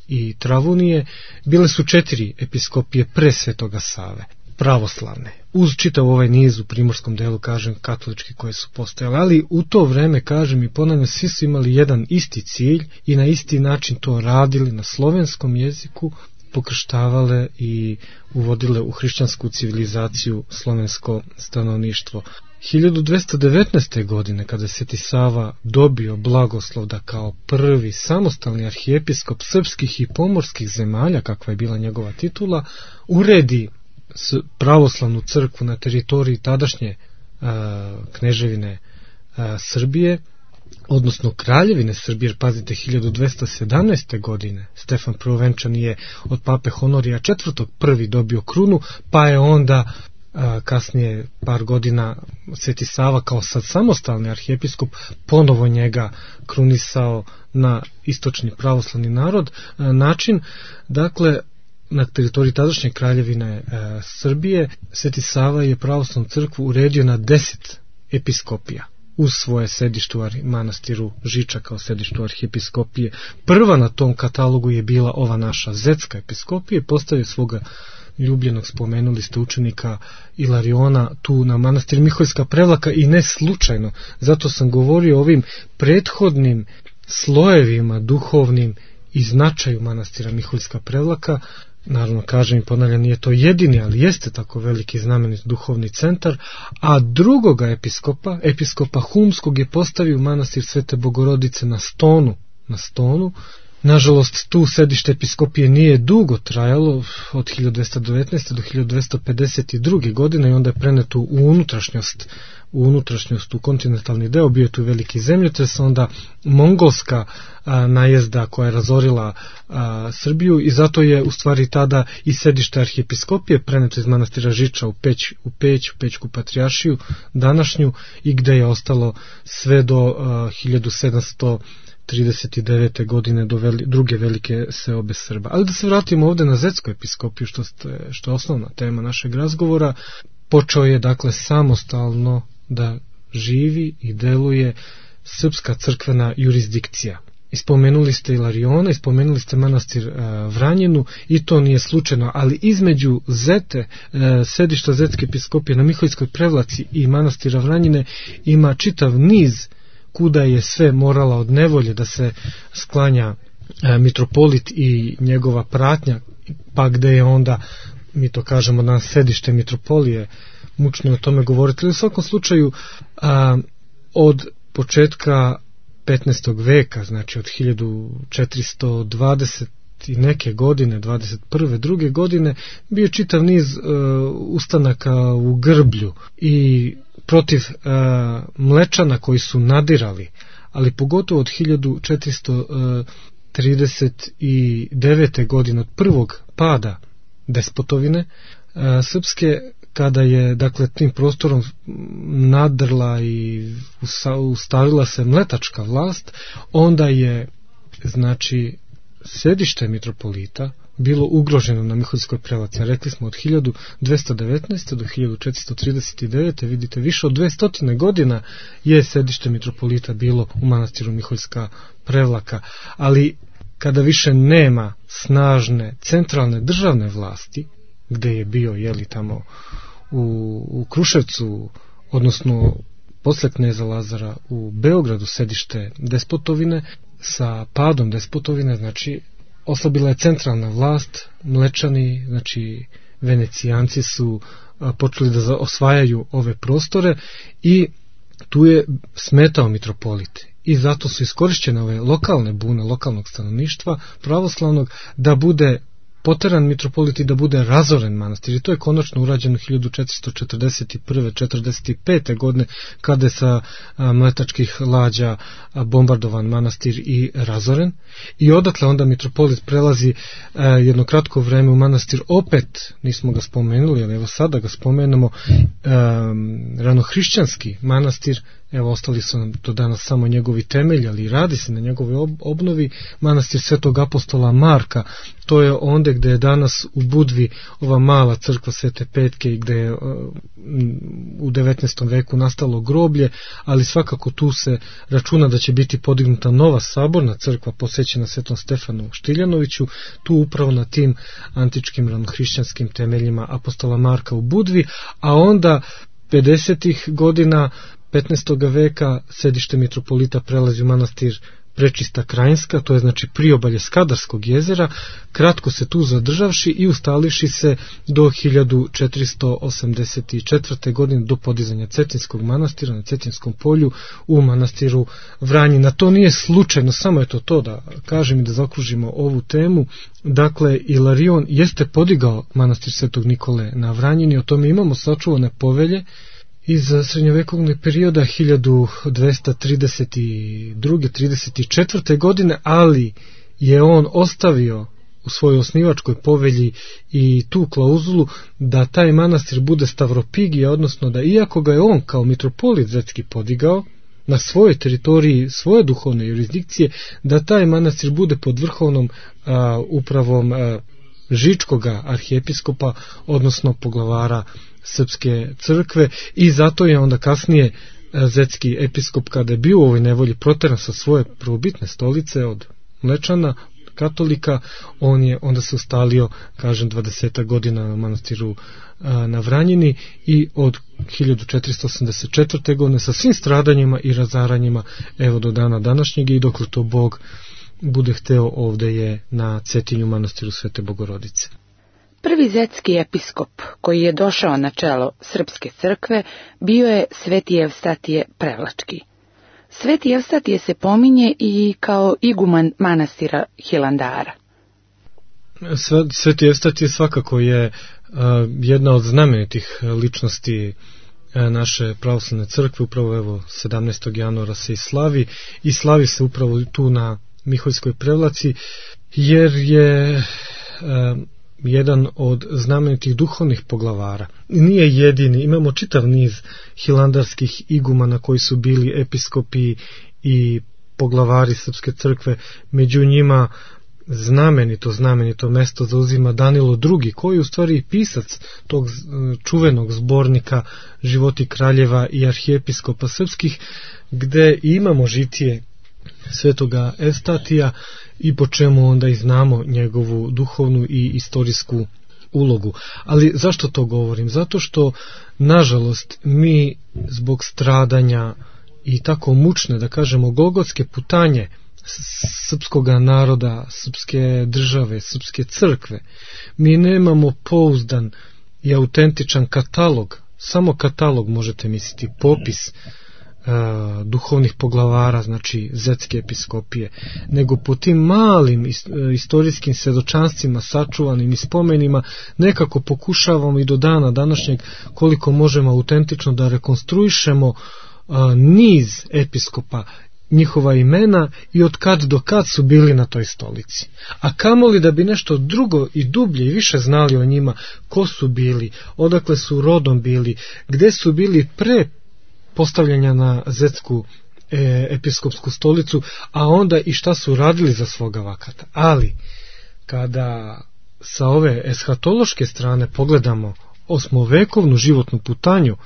i Travunije, bile su 4 episkopije pre Svetoga Save, pravoslavne, uz čitav ovaj niz u primorskom delu, kažem, katolički koje su postojale, ali u to vreme, kažem i ponavljam, svi su imali jedan isti cilj i na isti način to radili na slovenskom jeziku, pokrštavale i uvodile u hrišćansku civilizaciju slovensko stanovništvo. 1219. godine, kada je Sveti Sava dobio blagoslov da kao prvi samostalni arhijepiskop srpskih i pomorskih zemalja, kakva je bila njegova titula, uredi pravoslavnu crkvu na teritoriji tadašnje kneževine Srbije, odnosno kraljevine Srbije, jer pazite, 1217. godine Stefan Prvovenčani je od pape Honorija IV. Prvi dobio krunu, pa je onda kasnije par godina Sveti Sava kao sad samostalni arhijepiskop ponovo njega krunisao na istočni pravoslavni način. Dakle, na teritoriji tadašnje kraljevine Srbije Sveti Sava je pravoslavnu crkvu uredio na 10 episkopija uz svoje sedište u manastiru Žiča kao sedištu arhijepiskopije. Prva na tom katalogu je bila ova naša zetska episkopija, postavio svoga ljubljenog, spomenuli ste, učenika Ilariona tu na manastir Miholjska Prevlaka i ne slučajno, zato sam govorio o ovim prethodnim slojevima duhovnim i značaju manastira Miholjska Prevlaka. Naravno, kažem i ponavljam, nije to jedini, ali jeste tako veliki znamenit duhovni centar, a drugoga episkopa Humskog je postavio manastir Svete Bogorodice na Stonu, Nažalost, tu sedište episkopije nije dugo trajalo, od 1219. do 1252. godine, i onda je preneto u unutrašnjost, u kontinentalni deo. Bio je tu veliki zemljotres, onda mongolska najezda koja je razorila Srbiju, i zato je u stvari tada i sedište arhijepiskopije preneto iz manastira Žiča u Pećku patrijaršiju današnju, i gde je ostalo sve do 1739. godine, do druge velike seobe Srba. Ali da se vratimo ovde na Zetsku episkopiju, što je osnovna tema našeg razgovora. Počeo je dakle samostalno da živi i deluje srpska crkvena jurisdikcija. Ispomenuli ste Ilariona, ispomenuli ste manastir Vranjinu, i to nije slučajno, ali između Zete, sedišta Zetske episkopije na Miholjskoj Prevlaci, i manastira Vranjine ima čitav niz kuda je sve morala od nevolje da se sklanja mitropolit i njegova pratnja, pa gde je onda, mi to kažemo danas, sedište mitropolije. Mučno je o tome govoriti. U svakom slučaju, od početka 15. veka, znači od 1420 i neke godine, 21. druge godine, bio čitav niz ustanaka u Grblju i protiv Mlečana koji su nadirali, ali pogotovo od 1439. godine, od prvog pada despotovine srpske, kada je dakle tim prostorom nadrla i ustavila se mletačka vlast, onda je znači sedište mitropolita bilo ugroženo na Miholjskoj Prevlaci. Rekli smo od 1219. do 1439. vidite, više od 200 godina je sedište mitropolita bilo u manastiru Miholjska Prevlaka, ali kada više nema snažne centralne državne vlasti, gde je bio tamo u Kruševcu, odnosno posle kneza Lazara u Beogradu sedište despotovine, sa padom despotovine, znači oslabila je centralna vlast, Mlečani, znači Venecijanci su počeli da osvajaju ove prostore, i tu je smetao mitropolit. I zato su iskorišćene ove lokalne bune lokalnog stanovništva pravoslavnog da bude poteran mitropolit i da bude razoren manastir. I to je konačno urađeno 1441-45. godine, kada je sa mletačkih lađa bombardovan manastir i razoren. I odatle onda mitropolit prelazi jedno kratko vreme u manastir, opet nismo ga spomenuli, ali evo sada ga spomenemo, ranohrišćanski manastir. Evo, ostali su nam do danas samo njegovi temelji, ali radi se na njegovoj obnovi. Manastir Svetog apostola Marka, to je onda gde je danas u Budvi ova mala crkva Svete Petke, i gde je u 19. veku nastalo groblje, ali svakako tu se računa da će biti podignuta nova saborna crkva posvećena Svetom Stefanu Štiljanoviću, tu upravo na tim antičkim ranohrišćanskim temeljima apostola Marka u Budvi. A onda 50. godina 15. veka sedište mitropolita prelazi u manastir Prečista Krajinska, to je znači priobalje Skadarskog jezera, kratko se tu zadržavši i ustalivši se do 1484. godine, do podizanja Cetinskog manastira na Cetinskom polju u manastiru Vranjina. To nije slučajno, samo je to da kažem i da zaokružimo ovu temu. Dakle, Ilarion jeste podigao manastir Svetog Nikole na Vranjini, o tome imamo sačuvane povelje iz srednjovekovnog perioda 1232-34. godine, ali je on ostavio u svojoj osnivačkoj povelji i tu klauzulu da taj manastir bude stavropigija, odnosno da iako ga je on kao mitropolit zetski podigao na svojoj teritoriji svoje duhovne jurisdikcije, da taj manastir bude pod vrhovnom upravom Žičkoga arhijepiskopa, odnosno poglavara Srpske crkve, i zato je onda kasnije zetski episkop, kada je bio u ovoj nevolji proteran sa svoje prvobitne stolice od Mlečana, katolika, on je onda se ustalio, kažem, 20 godina na manastiru na Vranjini, i od 1484. godine sa svim stradanjima i razaranjima, evo do dana današnjeg, i dokle to Bog bude hteo, ovde je na Cetinju manastiru Svete Bogorodice. Prvi zetski episkop koji je došao na čelo Srpske crkve bio je Sveti Evstatije Prevlački. Sveti Evstatije se pominje i kao iguman manastira Hilandara. Sveti Evstatije svakako je jedna od znamenitih ličnosti naše pravoslavne crkve, upravo evo 17. januara se i slavi se upravo tu na Miholjskoj Prevlaci, jer je jedan od znamenitih duhovnih poglavara. Nije jedini, imamo čitav niz hilandarskih igumana koji su bili episkopi i poglavari Srpske crkve, među njima znamenito mesto zauzima Danilo II, koji je u stvari pisac tog čuvenog zbornika Životi kraljeva i arhijepiskopa srpskih, gde imamo žitije svetoga Evstatija i po čemu onda i znamo njegovu duhovnu i istorijsku ulogu. Ali zašto to govorim? Zato što, nažalost, mi zbog stradanja i tako mučne, da kažemo, golgotske putanje srpskoga naroda, srpske države, srpske crkve, mi nemamo pouzdan i autentičan katalog, samo katalog možete misliti, popis duhovnih poglavara, znači zetske episkopije, nego po tim malim istorijskim svedočanstvima sačuvanim i spomenima nekako pokušavamo i do dana današnjeg koliko možemo autentično da rekonstruišemo niz episkopa, njihova imena i od kad do kad su bili na toj stolici. A kamoli da bi nešto drugo i dublje i više znali o njima, ko su bili, odakle su rodom bili, gde su bili pre postavljanja na zetsku episkopsku stolicu, a onda i šta su radili za svoga vakata. Ali, kada sa ove eshatološke strane pogledamo osmovekovnu životnu putanju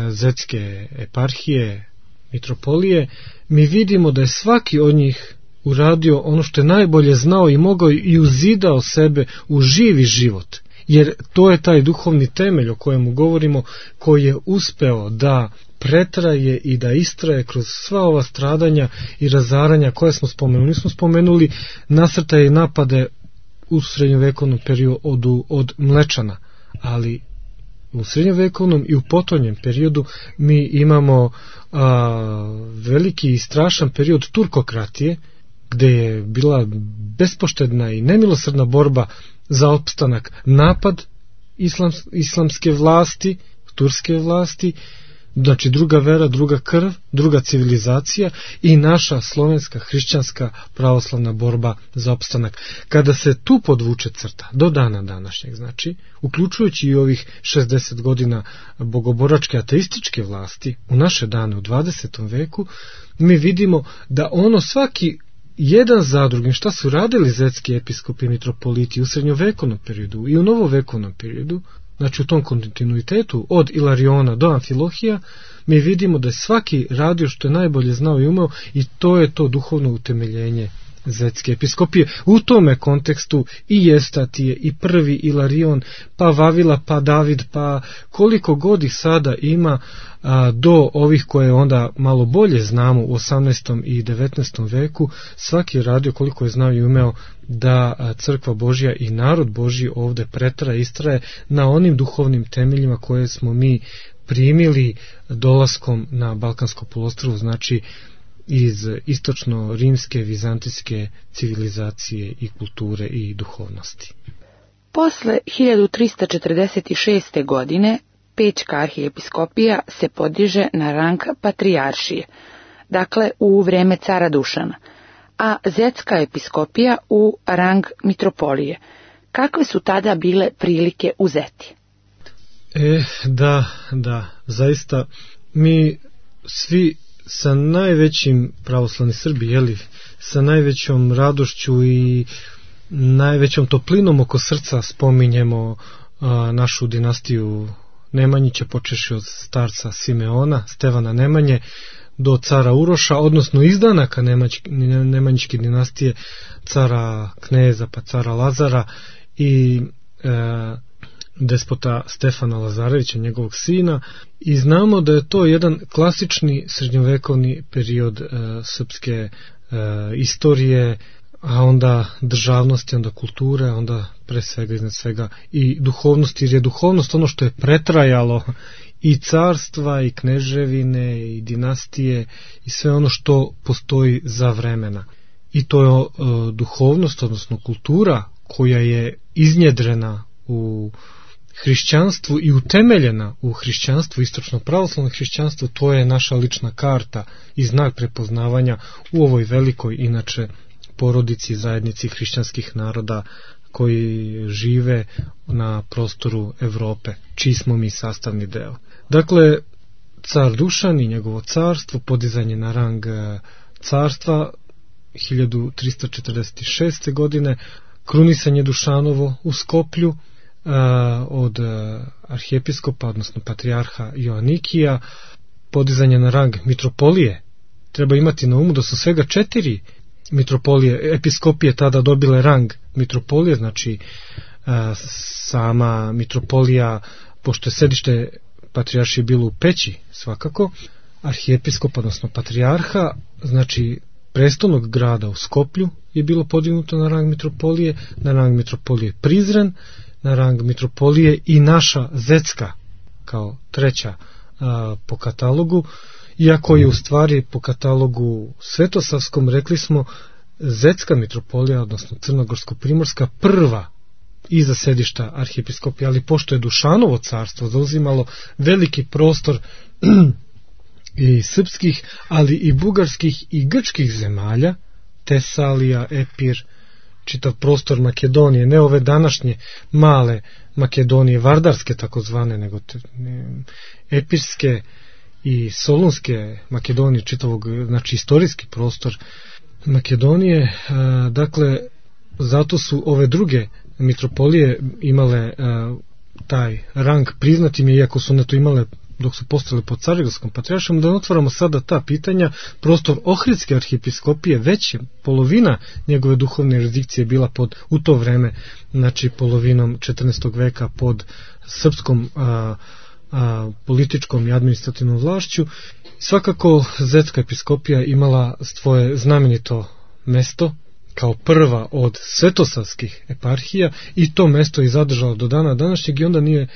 zetske eparhije, mitropolije, mi vidimo da je svaki od njih uradio ono što je najbolje znao i mogao i uzidao sebe u živi život. Jer to je taj duhovni temelj o kojemu govorimo, koji je uspeo da pretraje i da istraje kroz sva ova stradanja i razaranja koje smo spomenuli. Mi smo spomenuli nasrtaje i napade u srednjovekovnom periodu od Mlečana, ali u srednjovekovnom i u potonjem periodu mi imamo veliki i strašan period turkokratije, gde je bila bespoštedna i nemilosrdna borba za opstanak, napad islamske vlasti, turske vlasti, znači druga vera, druga krv, druga civilizacija i naša slovenska hrišćanska pravoslavna borba za opstanak. Kada se tu podvuče crta do dana današnjeg, znači, uključujući i ovih 60 godina bogoboračke ateističke vlasti u naše dane u 20. veku, mi vidimo da ono svaki jedan za drugim šta su radili zetski episkopi i mitropoliti u srednjovekovnom periodu i u novovekovnom periodu, znači u tom kontinuitetu od Ilariona do Amfilohija, mi vidimo da je svaki radio što je najbolje znao i umeo i to je to duhovno utemeljenje zetske episkopije. U tome kontekstu i Evstatije, i prvi Ilarion, pa Vavila, pa David, pa koliko god ih sada ima do ovih koje onda malo bolje znamo u 18. i 19. veku, svaki je radio koliko je znao i umeo da crkva Božja i narod Božji ovde pretraje, istraje na onim duhovnim temeljima koje smo mi primili dolaskom na Balkansko poluostrvo, znači iz istočno-rimske, vizantijske civilizacije i kulture i duhovnosti. Posle 1346. godine Pećka arhijepiskopija se podiže na rang patrijaršije, dakle u vreme cara Dušana, a zetska episkopija u rang mitropolije. Kakve su tada bile prilike u Zeti? Da, zaista mi svi sa najvećim pravoslavni Srbi, sa najvećom radošću i najvećom toplinom oko srca spominjemo našu dinastiju Nemanjića, počeši od starca Simeona, Stevana Nemanje, do cara Uroša, odnosno izdanaka Nemanjičke dinastije, cara Kneza, pa cara Lazara i despota Stefana Lazarevića, njegovog sina, i znamo da je to jedan klasični srednjovekovni period srpske istorije, a onda državnosti, onda kulture, onda pre svega iznad svega i duhovnosti, jer je duhovnost ono što je pretrajalo i carstva, i kneževine, i dinastije, i sve ono što postoji za vremena. I to je duhovnost, odnosno kultura, koja je iznjedrena u hrišćanstvu i utemeljena u hrišćanstvu, istočno pravoslavno hrišćanstvo. To je naša lična karta i znak prepoznavanja u ovoj velikoj, inače, porodici, zajednici hrišćanskih naroda koji žive na prostoru Evrope, čiji smo mi sastavni deo. Dakle, car Dušan i njegovo carstvo, podizanje na rang carstva 1346. godine, krunisanje Dušanovo u Skoplju od arhijepiskopa, odnosno patrijarha Joanikija, podizanje na rang mitropolije. Treba imati na umu da su svega 4 mitropolije, episkopije tada dobile rang mitropolije, znači sama mitropolija, pošto je sedište patrijaršije bilo u Peći, svakako, arhijepiskop, odnosno patrijarha, znači prestolnog grada u Skoplju je bilo podignuto na rang mitropolije Prizren, na rang mitropolije i naša Zecka kao treća po katalogu, iako je u stvari po katalogu svetosavskom, rekli smo, Zecka mitropolija, odnosno Crnogorsko-Primorska, prva iza sedišta arhijepiskopije, ali pošto je Dušanovo carstvo zauzimalo veliki prostor i srpskih, ali i bugarskih i grčkih zemalja, Tesalija, Epir, čitav prostor Makedonije, ne ove današnje male Makedonije, vardarske takozvane, nego epirske i solunske Makedonije, čitavog, znači istorijski prostor Makedonije. Dakle, zato su ove druge mitropolije imale taj rang priznatim je, iako su na to imale dok su postale pod Carigradskom patrijaršijom. Da otvaramo sada ta pitanja, prostor Ohridske arhijepiskopije, već je polovina njegove duhovne jurisdikcije bila pod, u to vreme, znači polovinom 14. veka, pod srpskom političkom i administrativnom vlašću. Svakako Zetska episkopija imala svoje znamenito mesto kao prva od svetosavskih eparhija i to mesto je zadržalo do dana današnjeg, i onda nije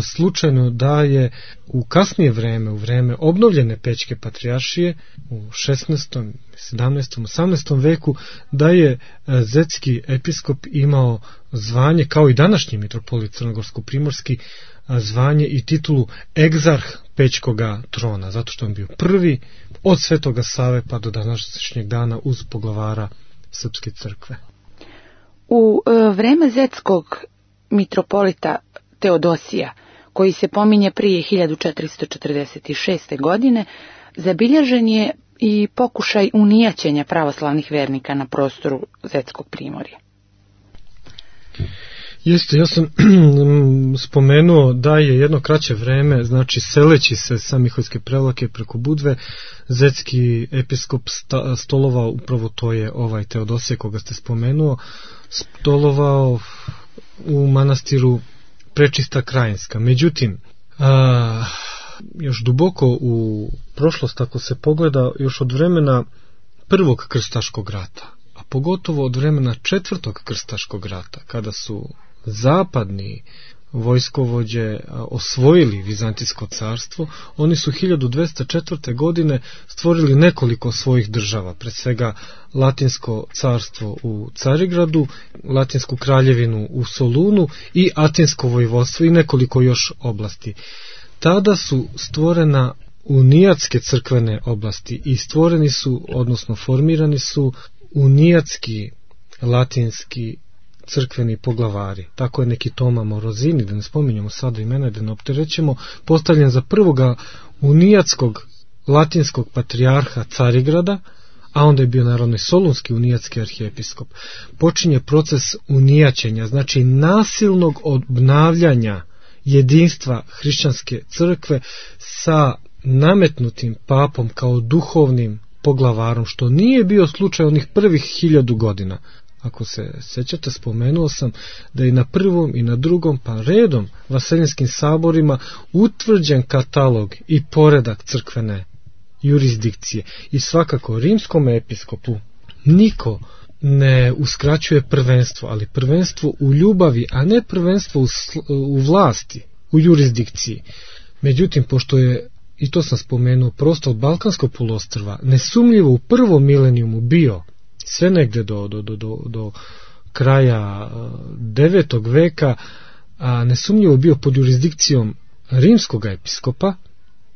slučajno da je u kasnije vreme, u vreme obnovljene Pećke patrijaršije u 16., 17., 18. veku, da je Zetski episkop imao zvanje, kao i današnji mitropolit Crnogorsko-Primorski, zvanje i titulu egzarh Pećkoga trona, zato što on bio prvi od Svetoga Save pa do današnjeg dana uz poglavara Srpske crkve. U vreme Zetskog mitropolita Teodosija, koji se pominje prije 1446. godine, zabilježen je i pokušaj unijaćenja pravoslavnih vernika na prostoru Zetskog primorja. Jeste, ja sam spomenuo da je jedno kraće vreme, znači seleći se sa Miholjske Prevlake preko Budve, Zetski episkop stolovao, upravo to je ovaj Teodosije koga ste spomenuo, stolovao u manastiru Prečista Krajinska. Međutim, još duboko u prošlost, ako se pogleda, još od vremena Prvog krstaškog rata, a pogotovo od vremena Četvrtog krstaškog rata, kada su zapadni vojskovođe osvojili Vizantijsko carstvo, oni su 1204. godine stvorili nekoliko svojih država, pre svega Latinsko carstvo u Carigradu, Latinsku kraljevinu u Solunu i Atinsko vojvodstvo i nekoliko još oblasti. Tada su stvorena unijatske crkvene oblasti i stvoreni su, odnosno formirani su unijatski latinski crkveni poglavari. Tako je neki Toma Morozini, da ne spominjamo sada imena, da ne opterećemo, postavljen za prvoga unijatskog latinskog patrijarha Carigrada, a onda je bio naravno i solunski unijatski arhijepiskop. Počinje proces unijaćenja, znači nasilnog obnavljanja jedinstva hrišćanske crkve sa nametnutim papom kao duhovnim poglavarom, što nije bio slučaj onih prvih 1000 godina. Ako se sećate, spomenuo sam da je na prvom i na drugom pa redom vaseljinskim saborima utvrđen katalog i poredak crkvene jurisdikcije i svakako rimskom episkopu niko ne uskraćuje prvenstvo, ali prvenstvo u ljubavi, a ne prvenstvo u vlasti, u jurisdikciji. Međutim, pošto je, i to sam spomenuo, prostor Balkanskog poluostrva nesumnjivo u prvom milenijumu bio sve negde do kraja 9. veka, a nesumnjivo bio pod jurisdikcijom rimskog episkopa,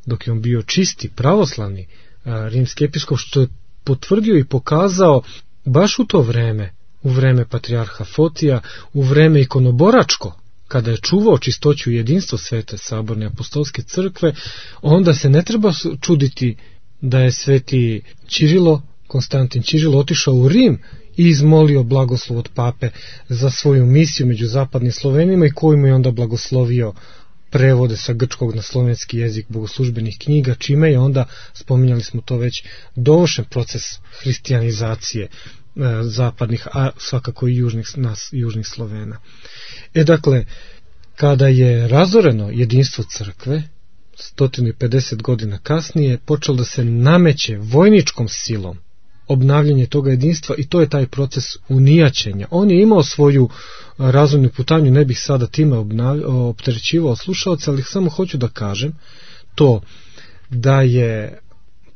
dok je on bio čisti, pravoslavni rimski episkop, što je potvrdio i pokazao baš u to vreme, u vreme patrijarha Fotija, u vreme ikonoboračko, kada je čuvao čistoću i jedinstvo Svete saborne apostolske crkve, onda se ne treba čuditi da je sveti Konstantin Ćirilo otišao u Rim i izmolio blagoslov od pape za svoju misiju među zapadnim Slovenima i koji mu je onda blagoslovio prevode sa grčkog na slovenski jezik bogoslužbenih knjiga, čime je onda, spominjali smo to već, dovršen proces hrišćanizacije zapadnih, a svakako i južnih Slovena. Dakle, kada je razoreno jedinstvo crkve, 150 godina kasnije, počelo da se nameće vojničkom silom obnavljanje toga jedinstva i to je taj proces unijaćenja. On je imao svoju razvojnu putanju, ne bih sada time opterećivao slušalce, ali samo hoću da kažem to da je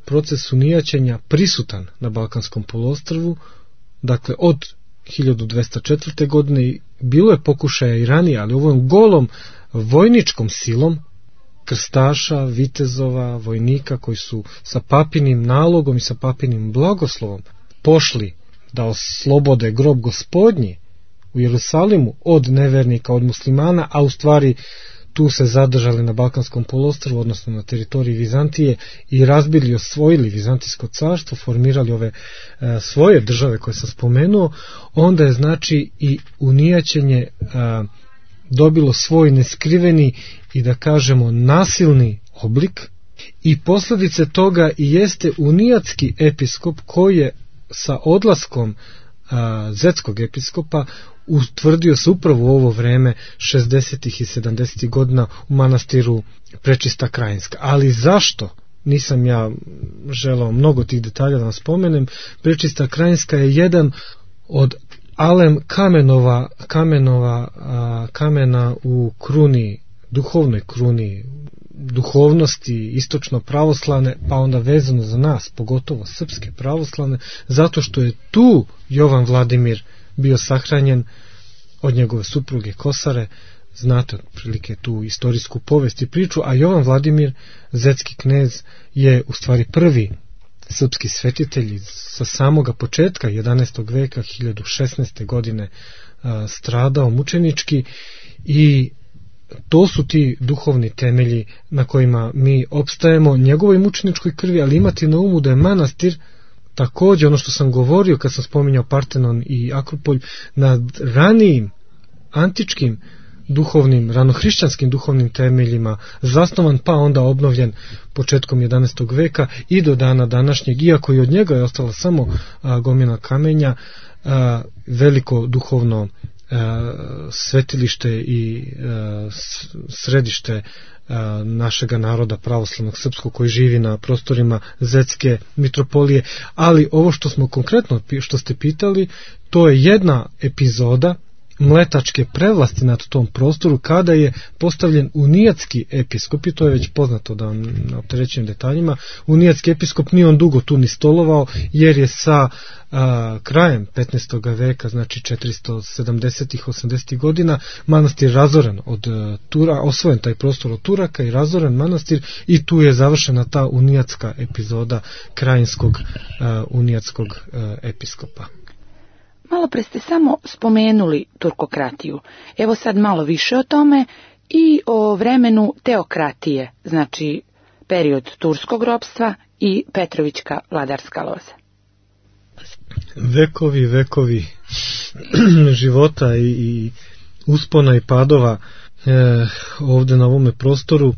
proces unijaćenja prisutan na Balkanskom poluostrvu, dakle od 1204. godine, bilo je pokušaja i ranije, ali ovom golom vojničkom silom krstaša, vitezova, vojnika koji su sa papinim nalogom i sa papinim blagoslovom pošli da oslobode grob Gospodnji u Jerusalimu od nevernika, od muslimana, a u stvari tu se zadržali na Balkanskom poluostrvu, odnosno na teritoriji Vizantije i razbili i osvojili Vizantijsko carstvo, formirali ove svoje države koje sam spomenuo, onda je znači i unijaćenje dobilo svoj neskriveni i da kažemo nasilni oblik i posljedice toga i jeste unijatski episkop koji je sa odlaskom zetskog episkopa utvrdio se upravo u ovo vreme 60. i 70. godina u manastiru Prečista Krajinska. Ali zašto? Nisam ja želao mnogo tih detalja da vam spomenem. Prečista Krajinska je jedan od alem kamena u kruni, duhovnoj kruni, duhovnosti istočno pravoslavne, pa onda vezano za nas, pogotovo srpske pravoslavne, zato što je tu Jovan Vladimir bio sahranjen od njegove supruge Kosare. Znate otprilike tu istorijsku povest i priču, a Jovan Vladimir, zetski knez, je u stvari prvi srpski svetitelj sa samoga početka 11. veka, 1016. godine stradao mučenički i to su ti duhovni temelji na kojima mi opstajemo njegovoj mučeničkoj krvi, ali imati na umu da je manastir također ono što sam govorio kad sam spominjao Partenon i Akropolj, nad ranijim antičkim duhovnim, ranohrišćanskim duhovnim temeljima zasnovan, pa onda obnovljen početkom 11. veka i do dana današnjeg, iako i od njega je ostala samo gomila kamenja, veliko duhovno svetilište i središte našega naroda pravoslavnog srpskog koji živi na prostorima Zetske mitropolije. Ali ovo što smo konkretno, što ste pitali, to je jedna epizoda mletačke prevlasti nad tom prostoru kada je postavljen unijatski episkop, i to je već poznato da vam ne opterećujem detaljima. Unijatski episkop nije on dugo tu ni stolovao, jer je sa krajem 15. veka, znači 470-ih, 80. godina, manastir razoren od osvojen taj prostor od Turaka i razoren manastir, i tu je završena ta unijatska epizoda krajinskog unijatskog episkopa. Malo pre ste samo spomenuli turkokratiju. Evo sad malo više o tome i o vremenu teokratije, znači period turskog ropstva i Petrovićka vladarska loza. Vekovi života i uspona i padova ovdje na ovome prostoru,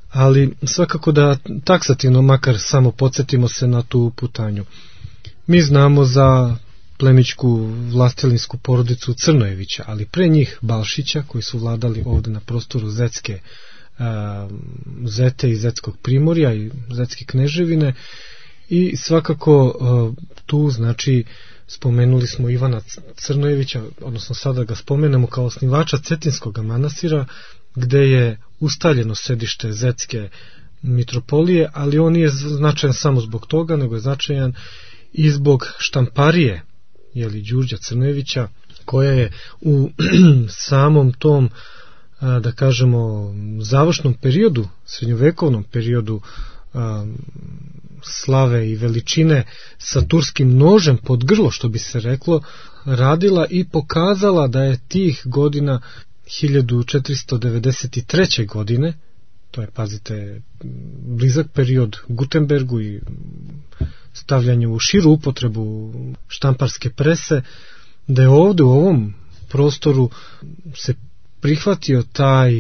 ali svakako da taksativno makar samo podsjetimo se na tu putanju. Mi znamo za plemićku vlastelinsku porodicu Crnojevića, ali pre njih Balšića, koji su vladali ovdje na prostoru Zete i Zetskog primorja i Zetske kneževine, i svakako tu znači spomenuli smo Ivana Crnojevića, odnosno sada ga spomenemo kao osnivača Cetinskog manastira, gde je ustaljeno sedište Zetske mitropolije, ali on nije značajan samo zbog toga, nego je značajan i zbog štamparije Đurđa Crnojevića, koja je u samom tom, da kažemo, završnom periodu, srednjovekovnom periodu slave i veličine, sa turskim nožem pod grlo, što bi se reklo, radila i pokazala da je tih godina 1493. godine, to je, pazite, blizak period Gutenbergu i stavljanju u širu upotrebu štamparske prese, da je ovdje u ovom prostoru se prihvatio taj,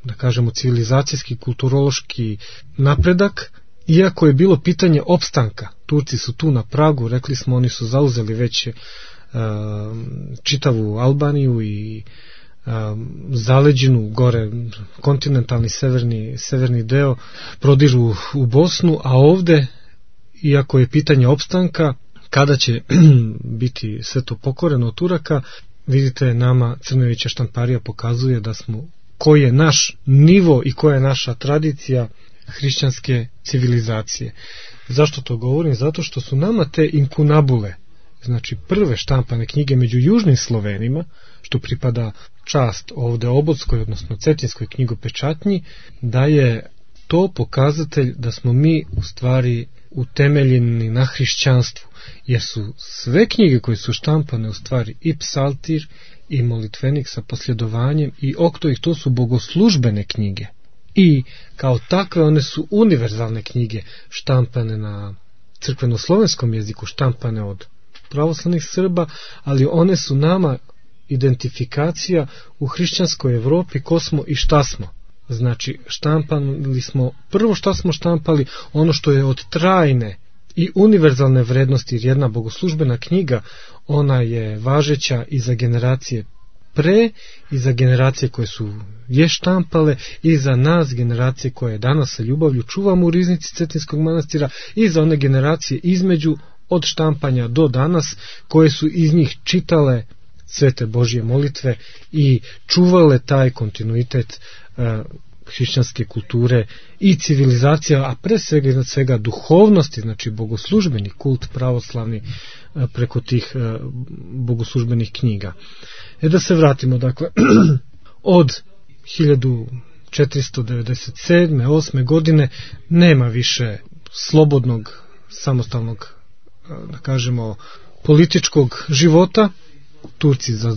da kažemo, civilizacijski, kulturološki napredak, iako je bilo pitanje opstanka. Turci su tu na pragu, rekli smo, oni su zauzeli već čitavu Albaniju i zaleđinu gore, kontinentalni severni deo, prodižu u Bosnu, a ovde, iako je pitanje opstanka, kada će biti sve to pokoreno od Turaka, vidite, nama Crnojevića štamparija pokazuje da smo, koji je naš nivo i koja je naša tradicija hrišćanske civilizacije. Zašto to govorim? Zato što su nama te inkunabule, znači prve štampane knjige među južnim Slovenima, što pripada čast ovde Obodskoj, odnosno Cetinskoj knjigopečatnji, da je to pokazatelj da smo mi u stvari utemeljeni na hrišćanstvu, jer su sve knjige koje su štampane u stvari i psaltir i molitvenik sa posljedovanjem i oktoih, to su bogoslužbene knjige. I kao takve one su univerzalne knjige, štampane na crkveno-slovenskom jeziku, štampane od pravoslavnih Srba, ali one su nama identifikacija u hrišćanskoj Evropi ko smo i šta smo. Znači, štampali smo, prvo šta smo štampali, ono što je od trajne i univerzalne vrednosti, jer jedna bogoslužbena knjiga, ona je važeća i za generacije pre, i za generacije koje su je štampale, i za nas, generacije koje danas sa ljubavlju čuvamo u riznici Cetinskog manastira, i za one generacije između, od štampanja do danas, koje su iz njih čitale svete Božje molitve i čuvale taj kontinuitet hrišćanske kulture i civilizacija, a pre svega iznad svega duhovnosti, znači bogoslužbeni kult pravoslavni preko tih bogoslužbenih knjiga. Da se vratimo, dakle, od 1497. 8. godine nema više slobodnog, samostalnog, da kažemo, političkog života. Turci za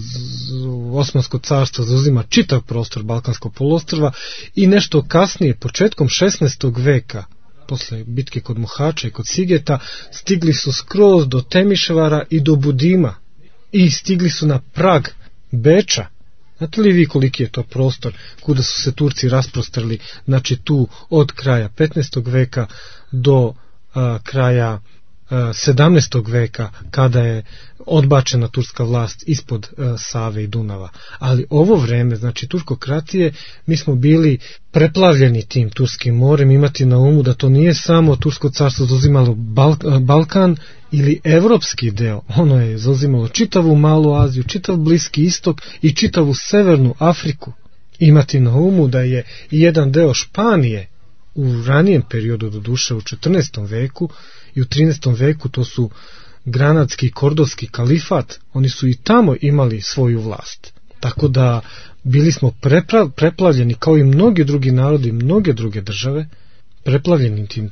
Osmansko carstvo zauzima čitav prostor Balkanskog poluostrva i nešto kasnije, početkom 16. veka, posle bitke kod Mohača i kod Sigeta, stigli su skroz do Temišvara i do Budima i stigli su na prag Beča. Znate li vi koliki je to prostor kuda su se Turci rasprostrli, znači tu od kraja 15. veka do kraja 17. veka, kada je odbačena turska vlast ispod Save i Dunava. Ali ovo vreme, znači turskokratije, mi smo bili preplavljeni tim Turskim morem. Imati na umu da to nije samo Tursko carstvo zauzimalo Balkan ili evropski deo, ono je zauzimalo čitavu Malu Aziju, čitav Bliski istok i čitavu Severnu Afriku. Imati na umu da je jedan deo Španije u ranijem periodu, do duše u 14. veku i u 13. veku, to su Granadski i Kordovski kalifat, oni su i tamo imali svoju vlast. Tako da bili smo preplavljeni, kao i mnogi drugi narodi, mnoge druge države, preplavljeni tim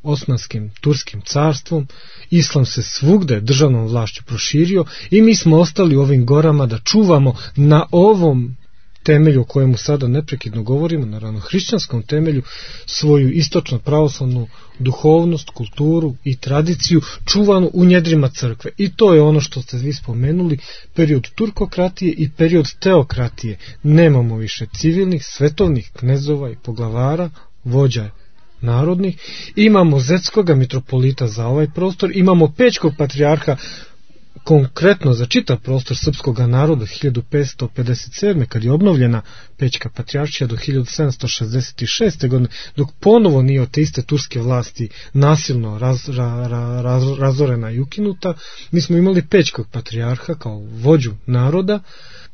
Osmanskim, Turskim carstvom. Islam se svugde državnom vlašću proširio i mi smo ostali u ovim gorama da čuvamo na ovom temelju o kojemu sada neprekidno govorimo, naravno hrišćanskom temelju, svoju istočno pravoslavnu duhovnost, kulturu i tradiciju čuvanu u njedrima crkve. I to je ono što ste vi spomenuli, period turkokratije i period teokratije. Nemamo više civilnih, svetovnih knezova i poglavara, vođa narodnih. Imamo zetskoga mitropolita za ovaj prostor, imamo pećkog patrijarha konkretno za čitav prostor srpskog naroda 1557. kad je obnovljena Pećka patrijaršija do 1766. godine, dok ponovo nije od te iste turske vlasti nasilno razorena i ukinuta. Mi smo imali Pećkog patrijarha kao vođu naroda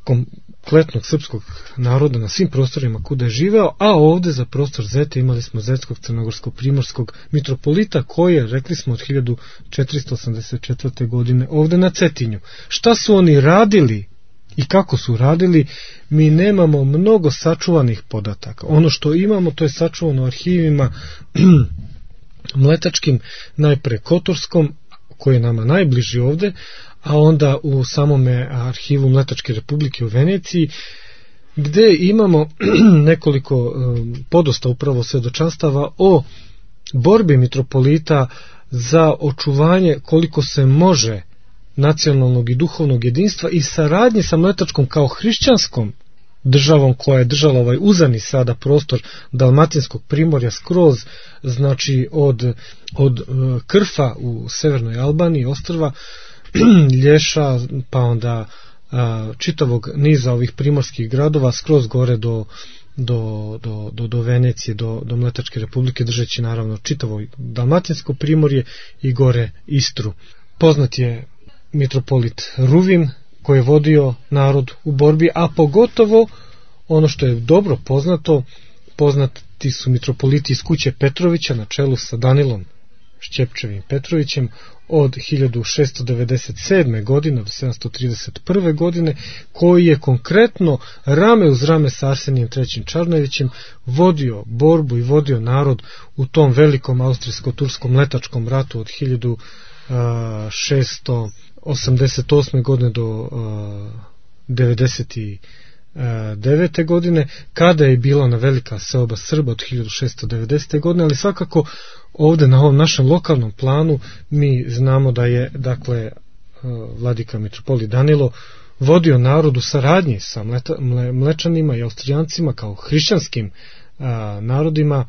kompletnog srpskog naroda na svim prostorima kuda je živeo, a ovde za prostor Zete imali smo zetskog, crnogorskog, primorskog mitropolita koji je, rekli smo, od 1484. godine ovde na Cetinju. Šta su oni radili i kako su radili, mi nemamo mnogo sačuvanih podataka. Ono što imamo, to je sačuvano u arhivima mletačkim, najpre kotorskom, koji je nama najbliži ovde, a onda u samome arhivu Mletačke republike u Veneciji, gde imamo nekoliko podosta upravo svedočanstava o borbi mitropolita za očuvanje koliko se može nacionalnog i duhovnog jedinstva i saradnje sa Mletačkom kao hrišćanskom državom koja je držala ovaj uzani sada prostor Dalmatinskog primorja skroz, znači od Krfa u severnoj Albaniji, ostrva Lješa, pa onda čitavog niza ovih primorskih gradova skroz gore do Venecije, do Mletačke republike, držeći naravno čitavo Dalmatinsko primorje i gore Istru. Poznat je mitropolit Ruvim, koji je vodio narod u borbi, a pogotovo ono što je dobro poznato, poznati su mitropoliti iz kuće Petrovića na čelu sa Danilom Šćepčevim Petrovićem od 1697. godine do 731. godine, koji je konkretno rame uz rame sa Arsenijem III. Čarnojevićem vodio borbu i vodio narod u tom velikom austrijsko-turskom mletačkom ratu od 1688. godine do 99. godine, kada je bila ona velika seoba Srba od 1690. godine, ali svakako ovde na ovom našem lokalnom planu mi znamo da je, dakle, vladika mitropolit Danilo vodio narod u saradnji sa Mlečanima i Austrijancima kao hrišćanskim narodima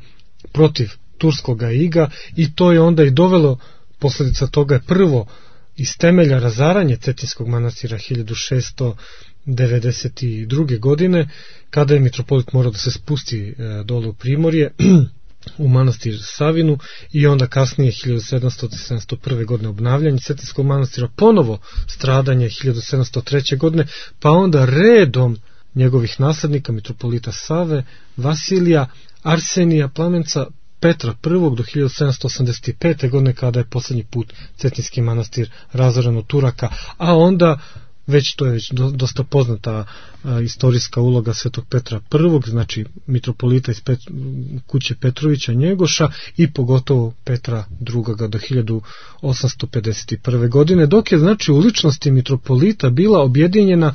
protiv turskoga iga, i to je onda i dovelo, posljedica toga je prvo iz temelja razaranje Cetinskog manastira 1692. godine, kada je mitropolit morao da se spusti dole u Primorje u manastir Savinu, i onda kasnije 1701. godine obnavljanje Cetinskog manastira, ponovo stradanje 1703. godine, pa onda redom njegovih naslednika, mitropolita Save, Vasilija, Arsenija, Plamenca, Petra I. do 1785. godine, kada je poslednji put Cetinski manastir razoren od Turaka, a onda to je već dosta poznata istorijska uloga Svetog Petra I, znači mitropolita iz kuće Petrovića Njegoša, i pogotovo Petra II. do 1851. godine, dok je, znači, u ličnosti mitropolita bila objedinjena,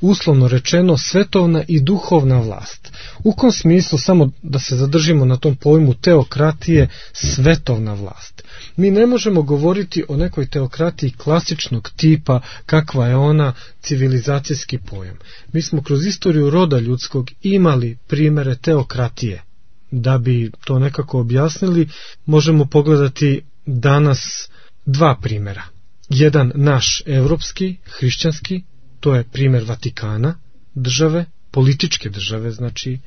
uslovno rečeno, svetovna i duhovna vlast. U kom smislu, samo da se zadržimo na tom pojmu teokratije, svetovna vlast. Mi ne možemo govoriti o nekoj teokratiji klasičnog tipa, kakva je ona civilizacijski pojam. Mi smo kroz istoriju roda ljudskog imali primere teokratije. Da bi to nekako objasnili, možemo pogledati danas dva primera. Jedan naš evropski, hrišćanski, to je primjer Vatikana, države, političke države, znači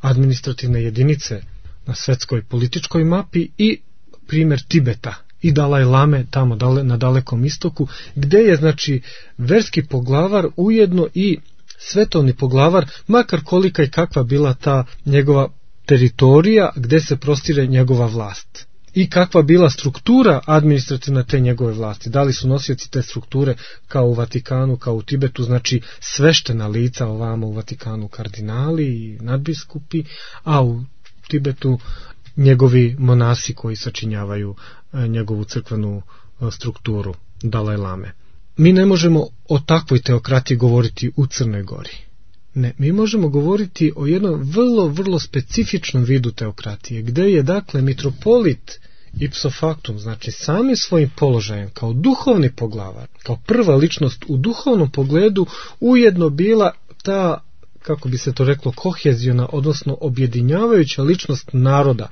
administrativne jedinice na svetskoj političkoj mapi, i primjer Tibeta i Dalaj Lame tamo na Dalekom istoku, gde je, znači, verski poglavar ujedno i svetovni poglavar, makar kolika i kakva bila ta njegova teritorija gde se prostire njegova vlast. I kakva bila struktura administrativna te njegove vlasti. Da li su nosioci te strukture kao u Vatikanu, kao u Tibetu, znači sveštena lica, ovamo u Vatikanu kardinali i nadbiskupi, a u Tibetu njegovi monasi koji sačinjavaju njegovu crkvenu strukturu, Dalaj Lame. Mi ne možemo o takvoj teokratiji govoriti u Crnoj Gori. Ne, mi možemo govoriti o jednom vrlo specifičnom vidu teokratije, gde je, dakle, mitropolit ipso factum, znači samim svojim položajem kao duhovni poglavar, kao prva ličnost u duhovnom pogledu, ujedno bila ta, kako bi se to reklo, koheziona, odnosno objedinjavajuća ličnost naroda.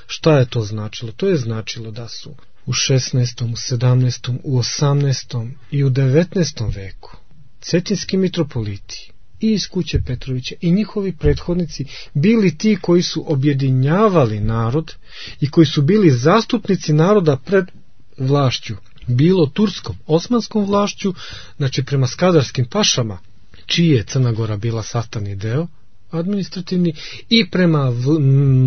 Šta je to značilo? To je značilo da su u 16., u 17., u 18. i u 19. veku cetinski mitropoliti i iz kuće Petrovića i njihovi prethodnici bili ti koji su objedinjavali narod i koji su bili zastupnici naroda pred vlašću, bilo turskom, osmanskom vlašću, znači prema skadarskim pašama, čiji je Crna Gora bila sastavni deo administrativni, i prema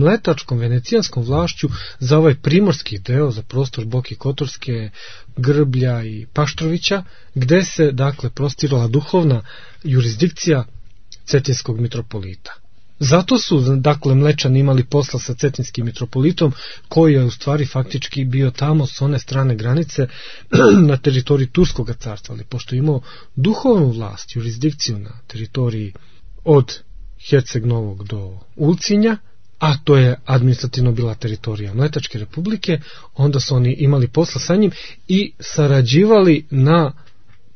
mletačkom venecijanskom vlašću za ovaj primorski deo, za prostor Boke Kotorske, Grblja i Paštrovića, gde se dakle prostirala duhovna jurisdikcija cetinskog mitropolita. Zato su dakle Mlečani imali posla sa cetinskim mitropolitom, koji je u stvari faktički bio tamo s one strane granice na teritoriji Turskog carstva, ali pošto je imao duhovnu vlast, jurisdikciju na teritoriji od Herceg Novog do Ulcinja, a to je administrativno bila teritorija Mletačke republike, onda su oni imali posla sa njim i sarađivali na,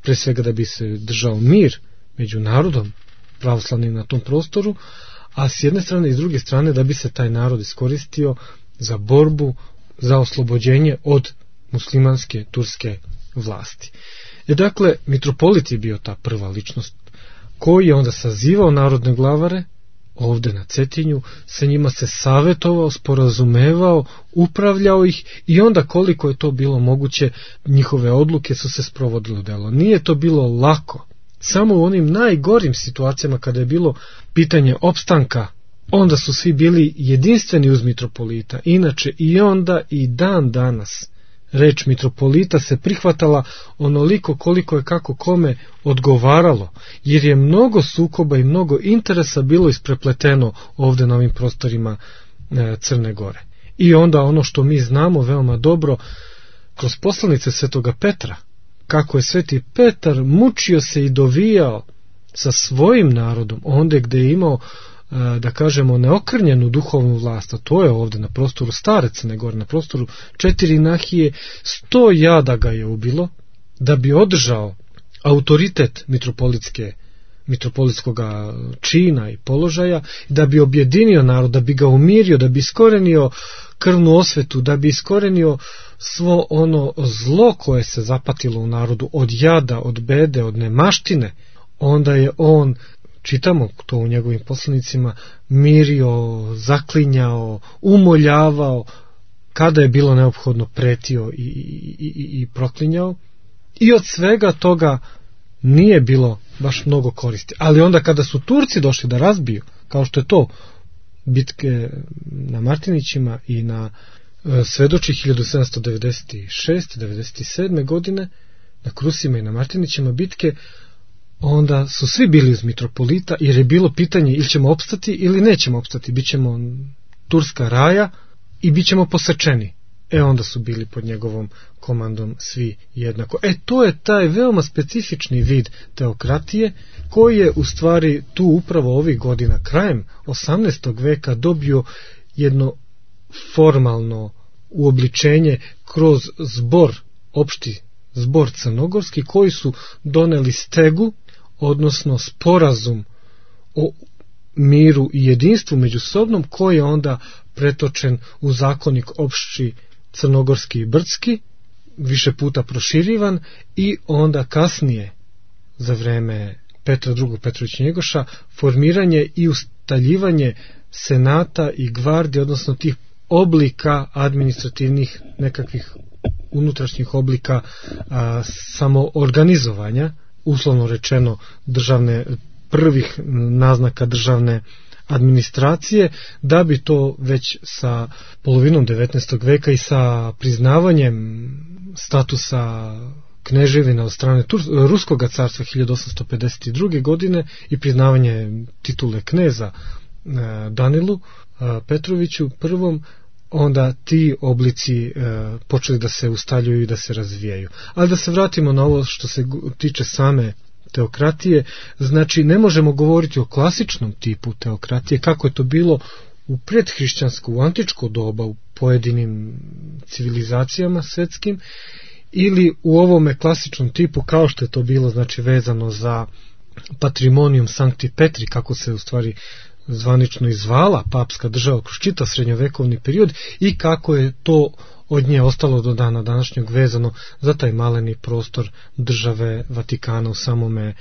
pre svega da bi se držao mir među narodom pravoslavnim na tom prostoru, a s jedne strane i s druge strane da bi se taj narod iskoristio za borbu za oslobođenje od muslimanske turske vlasti. Dakle, mitropolit je bio ta prva ličnost koji je onda sazivao narodne glavare ovde na Cetinju, sa njima se savetovao, sporazumevao, upravljao ih i onda koliko je to bilo moguće, njihove odluke su se sprovodile u delo. Nije to bilo lako. Samo u onim najgorim situacijama kada je bilo pitanje opstanka, onda su svi bili jedinstveni uz mitropolita. Inače i onda i dan danas reč mitropolita se prihvatala onoliko koliko je kako kome odgovaralo, jer je mnogo sukoba i mnogo interesa bilo isprepleteno ovde na ovim prostorima Crne Gore. I onda ono što mi znamo veoma dobro kroz poslanice Svetoga Petra, kako je Sveti Petar mučio se i dovijao sa svojim narodom, onda gde je imao, da kažemo, neokrnjenu duhovnu vlast, a to je ovde na prostoru stare Crne Gore, na prostoru 4 nahije, 100 jada ga je ubilo, da bi održao autoritet mitropolitskog čina i položaja, da bi objedinio narod, da bi ga umirio, da bi iskorenio krvnu osvetu, da bi iskorenio svo ono zlo koje se zapatilo u narodu, od jada, od bede, od nemaštine. Onda je on, čitamo to u njegovim poslanicima, mirio, zaklinjao, umoljavao, kada je bilo neophodno pretio i proklinjao. I od svega toga nije bilo baš mnogo koristi. Ali onda kada su Turci došli da razbiju, kao što je to bitke na Martinićima i na Svedoči 1796-97. godine, na Krusima i na Martinićima bitke, onda su svi bili uz mitropolita, jer je bilo pitanje ili ćemo opstati ili nećemo opstati, bit ćemo turska raja i bit ćemo posečeni. Onda su bili pod njegovom komandom svi jednako. To je taj veoma specifični vid teokratije koji je u stvari tu upravo ovih godina, krajem 18. veka, dobio jedno formalno uobličenje kroz opšti zbor crnogorski, koji su doneli stegu, odnosno sporazum o miru i jedinstvu međusobnom, koji je onda pretočen u zakonik opšti crnogorski i brdski, više puta proširivan, i onda kasnije, za vreme Petra II. Petrovića Njegoša, formiranje i ustaljivanje senata i gvardije, odnosno tih oblika administrativnih, nekakvih unutrašnjih oblika samoorganizovanja, uslovno rečeno prvih naznaka državne administracije, da bi to već sa polovinom 19. veka i sa priznavanjem statusa kneževina od strane Ruskog carstva 1852. godine i priznavanje titule kneza Danilu Petroviću I, onda ti oblici počeli da se ustaljuju i da se razvijaju. Ali da se vratimo na ovo što se tiče same teokratije, znači ne možemo govoriti o klasičnom tipu teokratije, kako je to bilo u predhrišćansko, u antičko doba, u pojedinim civilizacijama svetskim, ili u ovome klasičnom tipu kao što je to bilo, znači vezano za Patrimonium Sancti Petri, kako se u stvari zvanično izvala papska država kroz čitav srednjovekovni period, i kako je to od nje ostalo do dana današnjeg vezano za taj maleni prostor države Vatikana u samome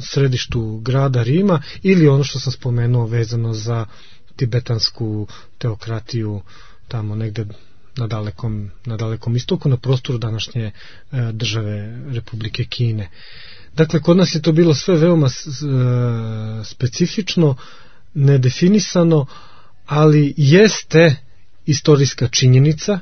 središtu grada Rima, ili ono što sam spomenuo vezano za tibetansku teokratiju tamo negde na dalekom istoku, na prostoru današnje države Republike Kine. Dakle, kod nas je to bilo sve veoma specifično, nedefinisano, ali jeste istorijska činjenica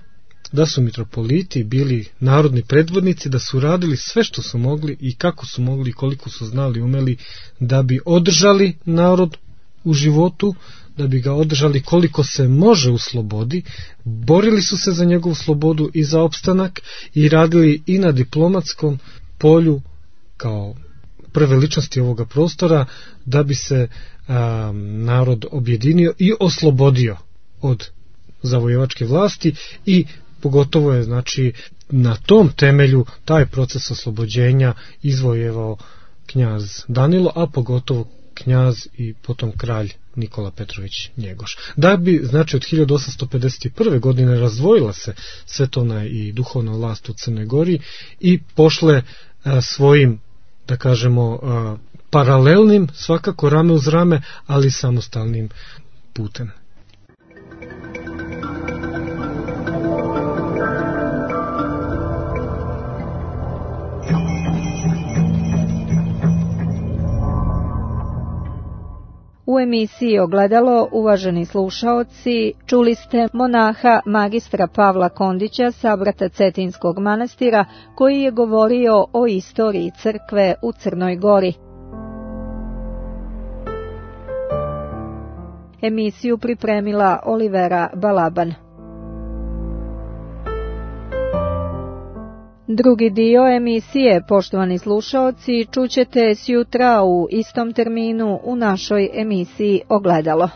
da su mitropoliti bili narodni predvodnici, da su radili sve što su mogli i kako su mogli i koliko su znali, umeli da bi održali narod u životu, da bi ga održali koliko se može u slobodi, borili su se za njegovu slobodu i za opstanak i radili i na diplomatskom polju kao prve ličnosti ovoga prostora da bi se narod objedinio i oslobodio od zavojevačke vlasti i pogotovo je znači na tom temelju taj proces oslobođenja izvojevao knjaz Danilo, a pogotovo knjaz i potom kralj Nikola Petrović Njegoš. Da bi znači od 1851. godine razdvojila se svetovna i duhovna vlast u Crnoj Gori i pošle svojim, da kažemo, paralelnim, svakako rame uz rame, ali samostalnim putem. U emisiji Ogledalo, uvaženi slušaoci, čuli ste monaha magistra Pavla Kondića sa Brata Cetinskog manastira koji je govorio o istoriji crkve u Crnoj Gori. Emisiju pripremila Olivera Balaban. Drugi dio emisije, poštovani slušaoci, čućete sjutra u istom terminu u našoj emisiji Ogledalo.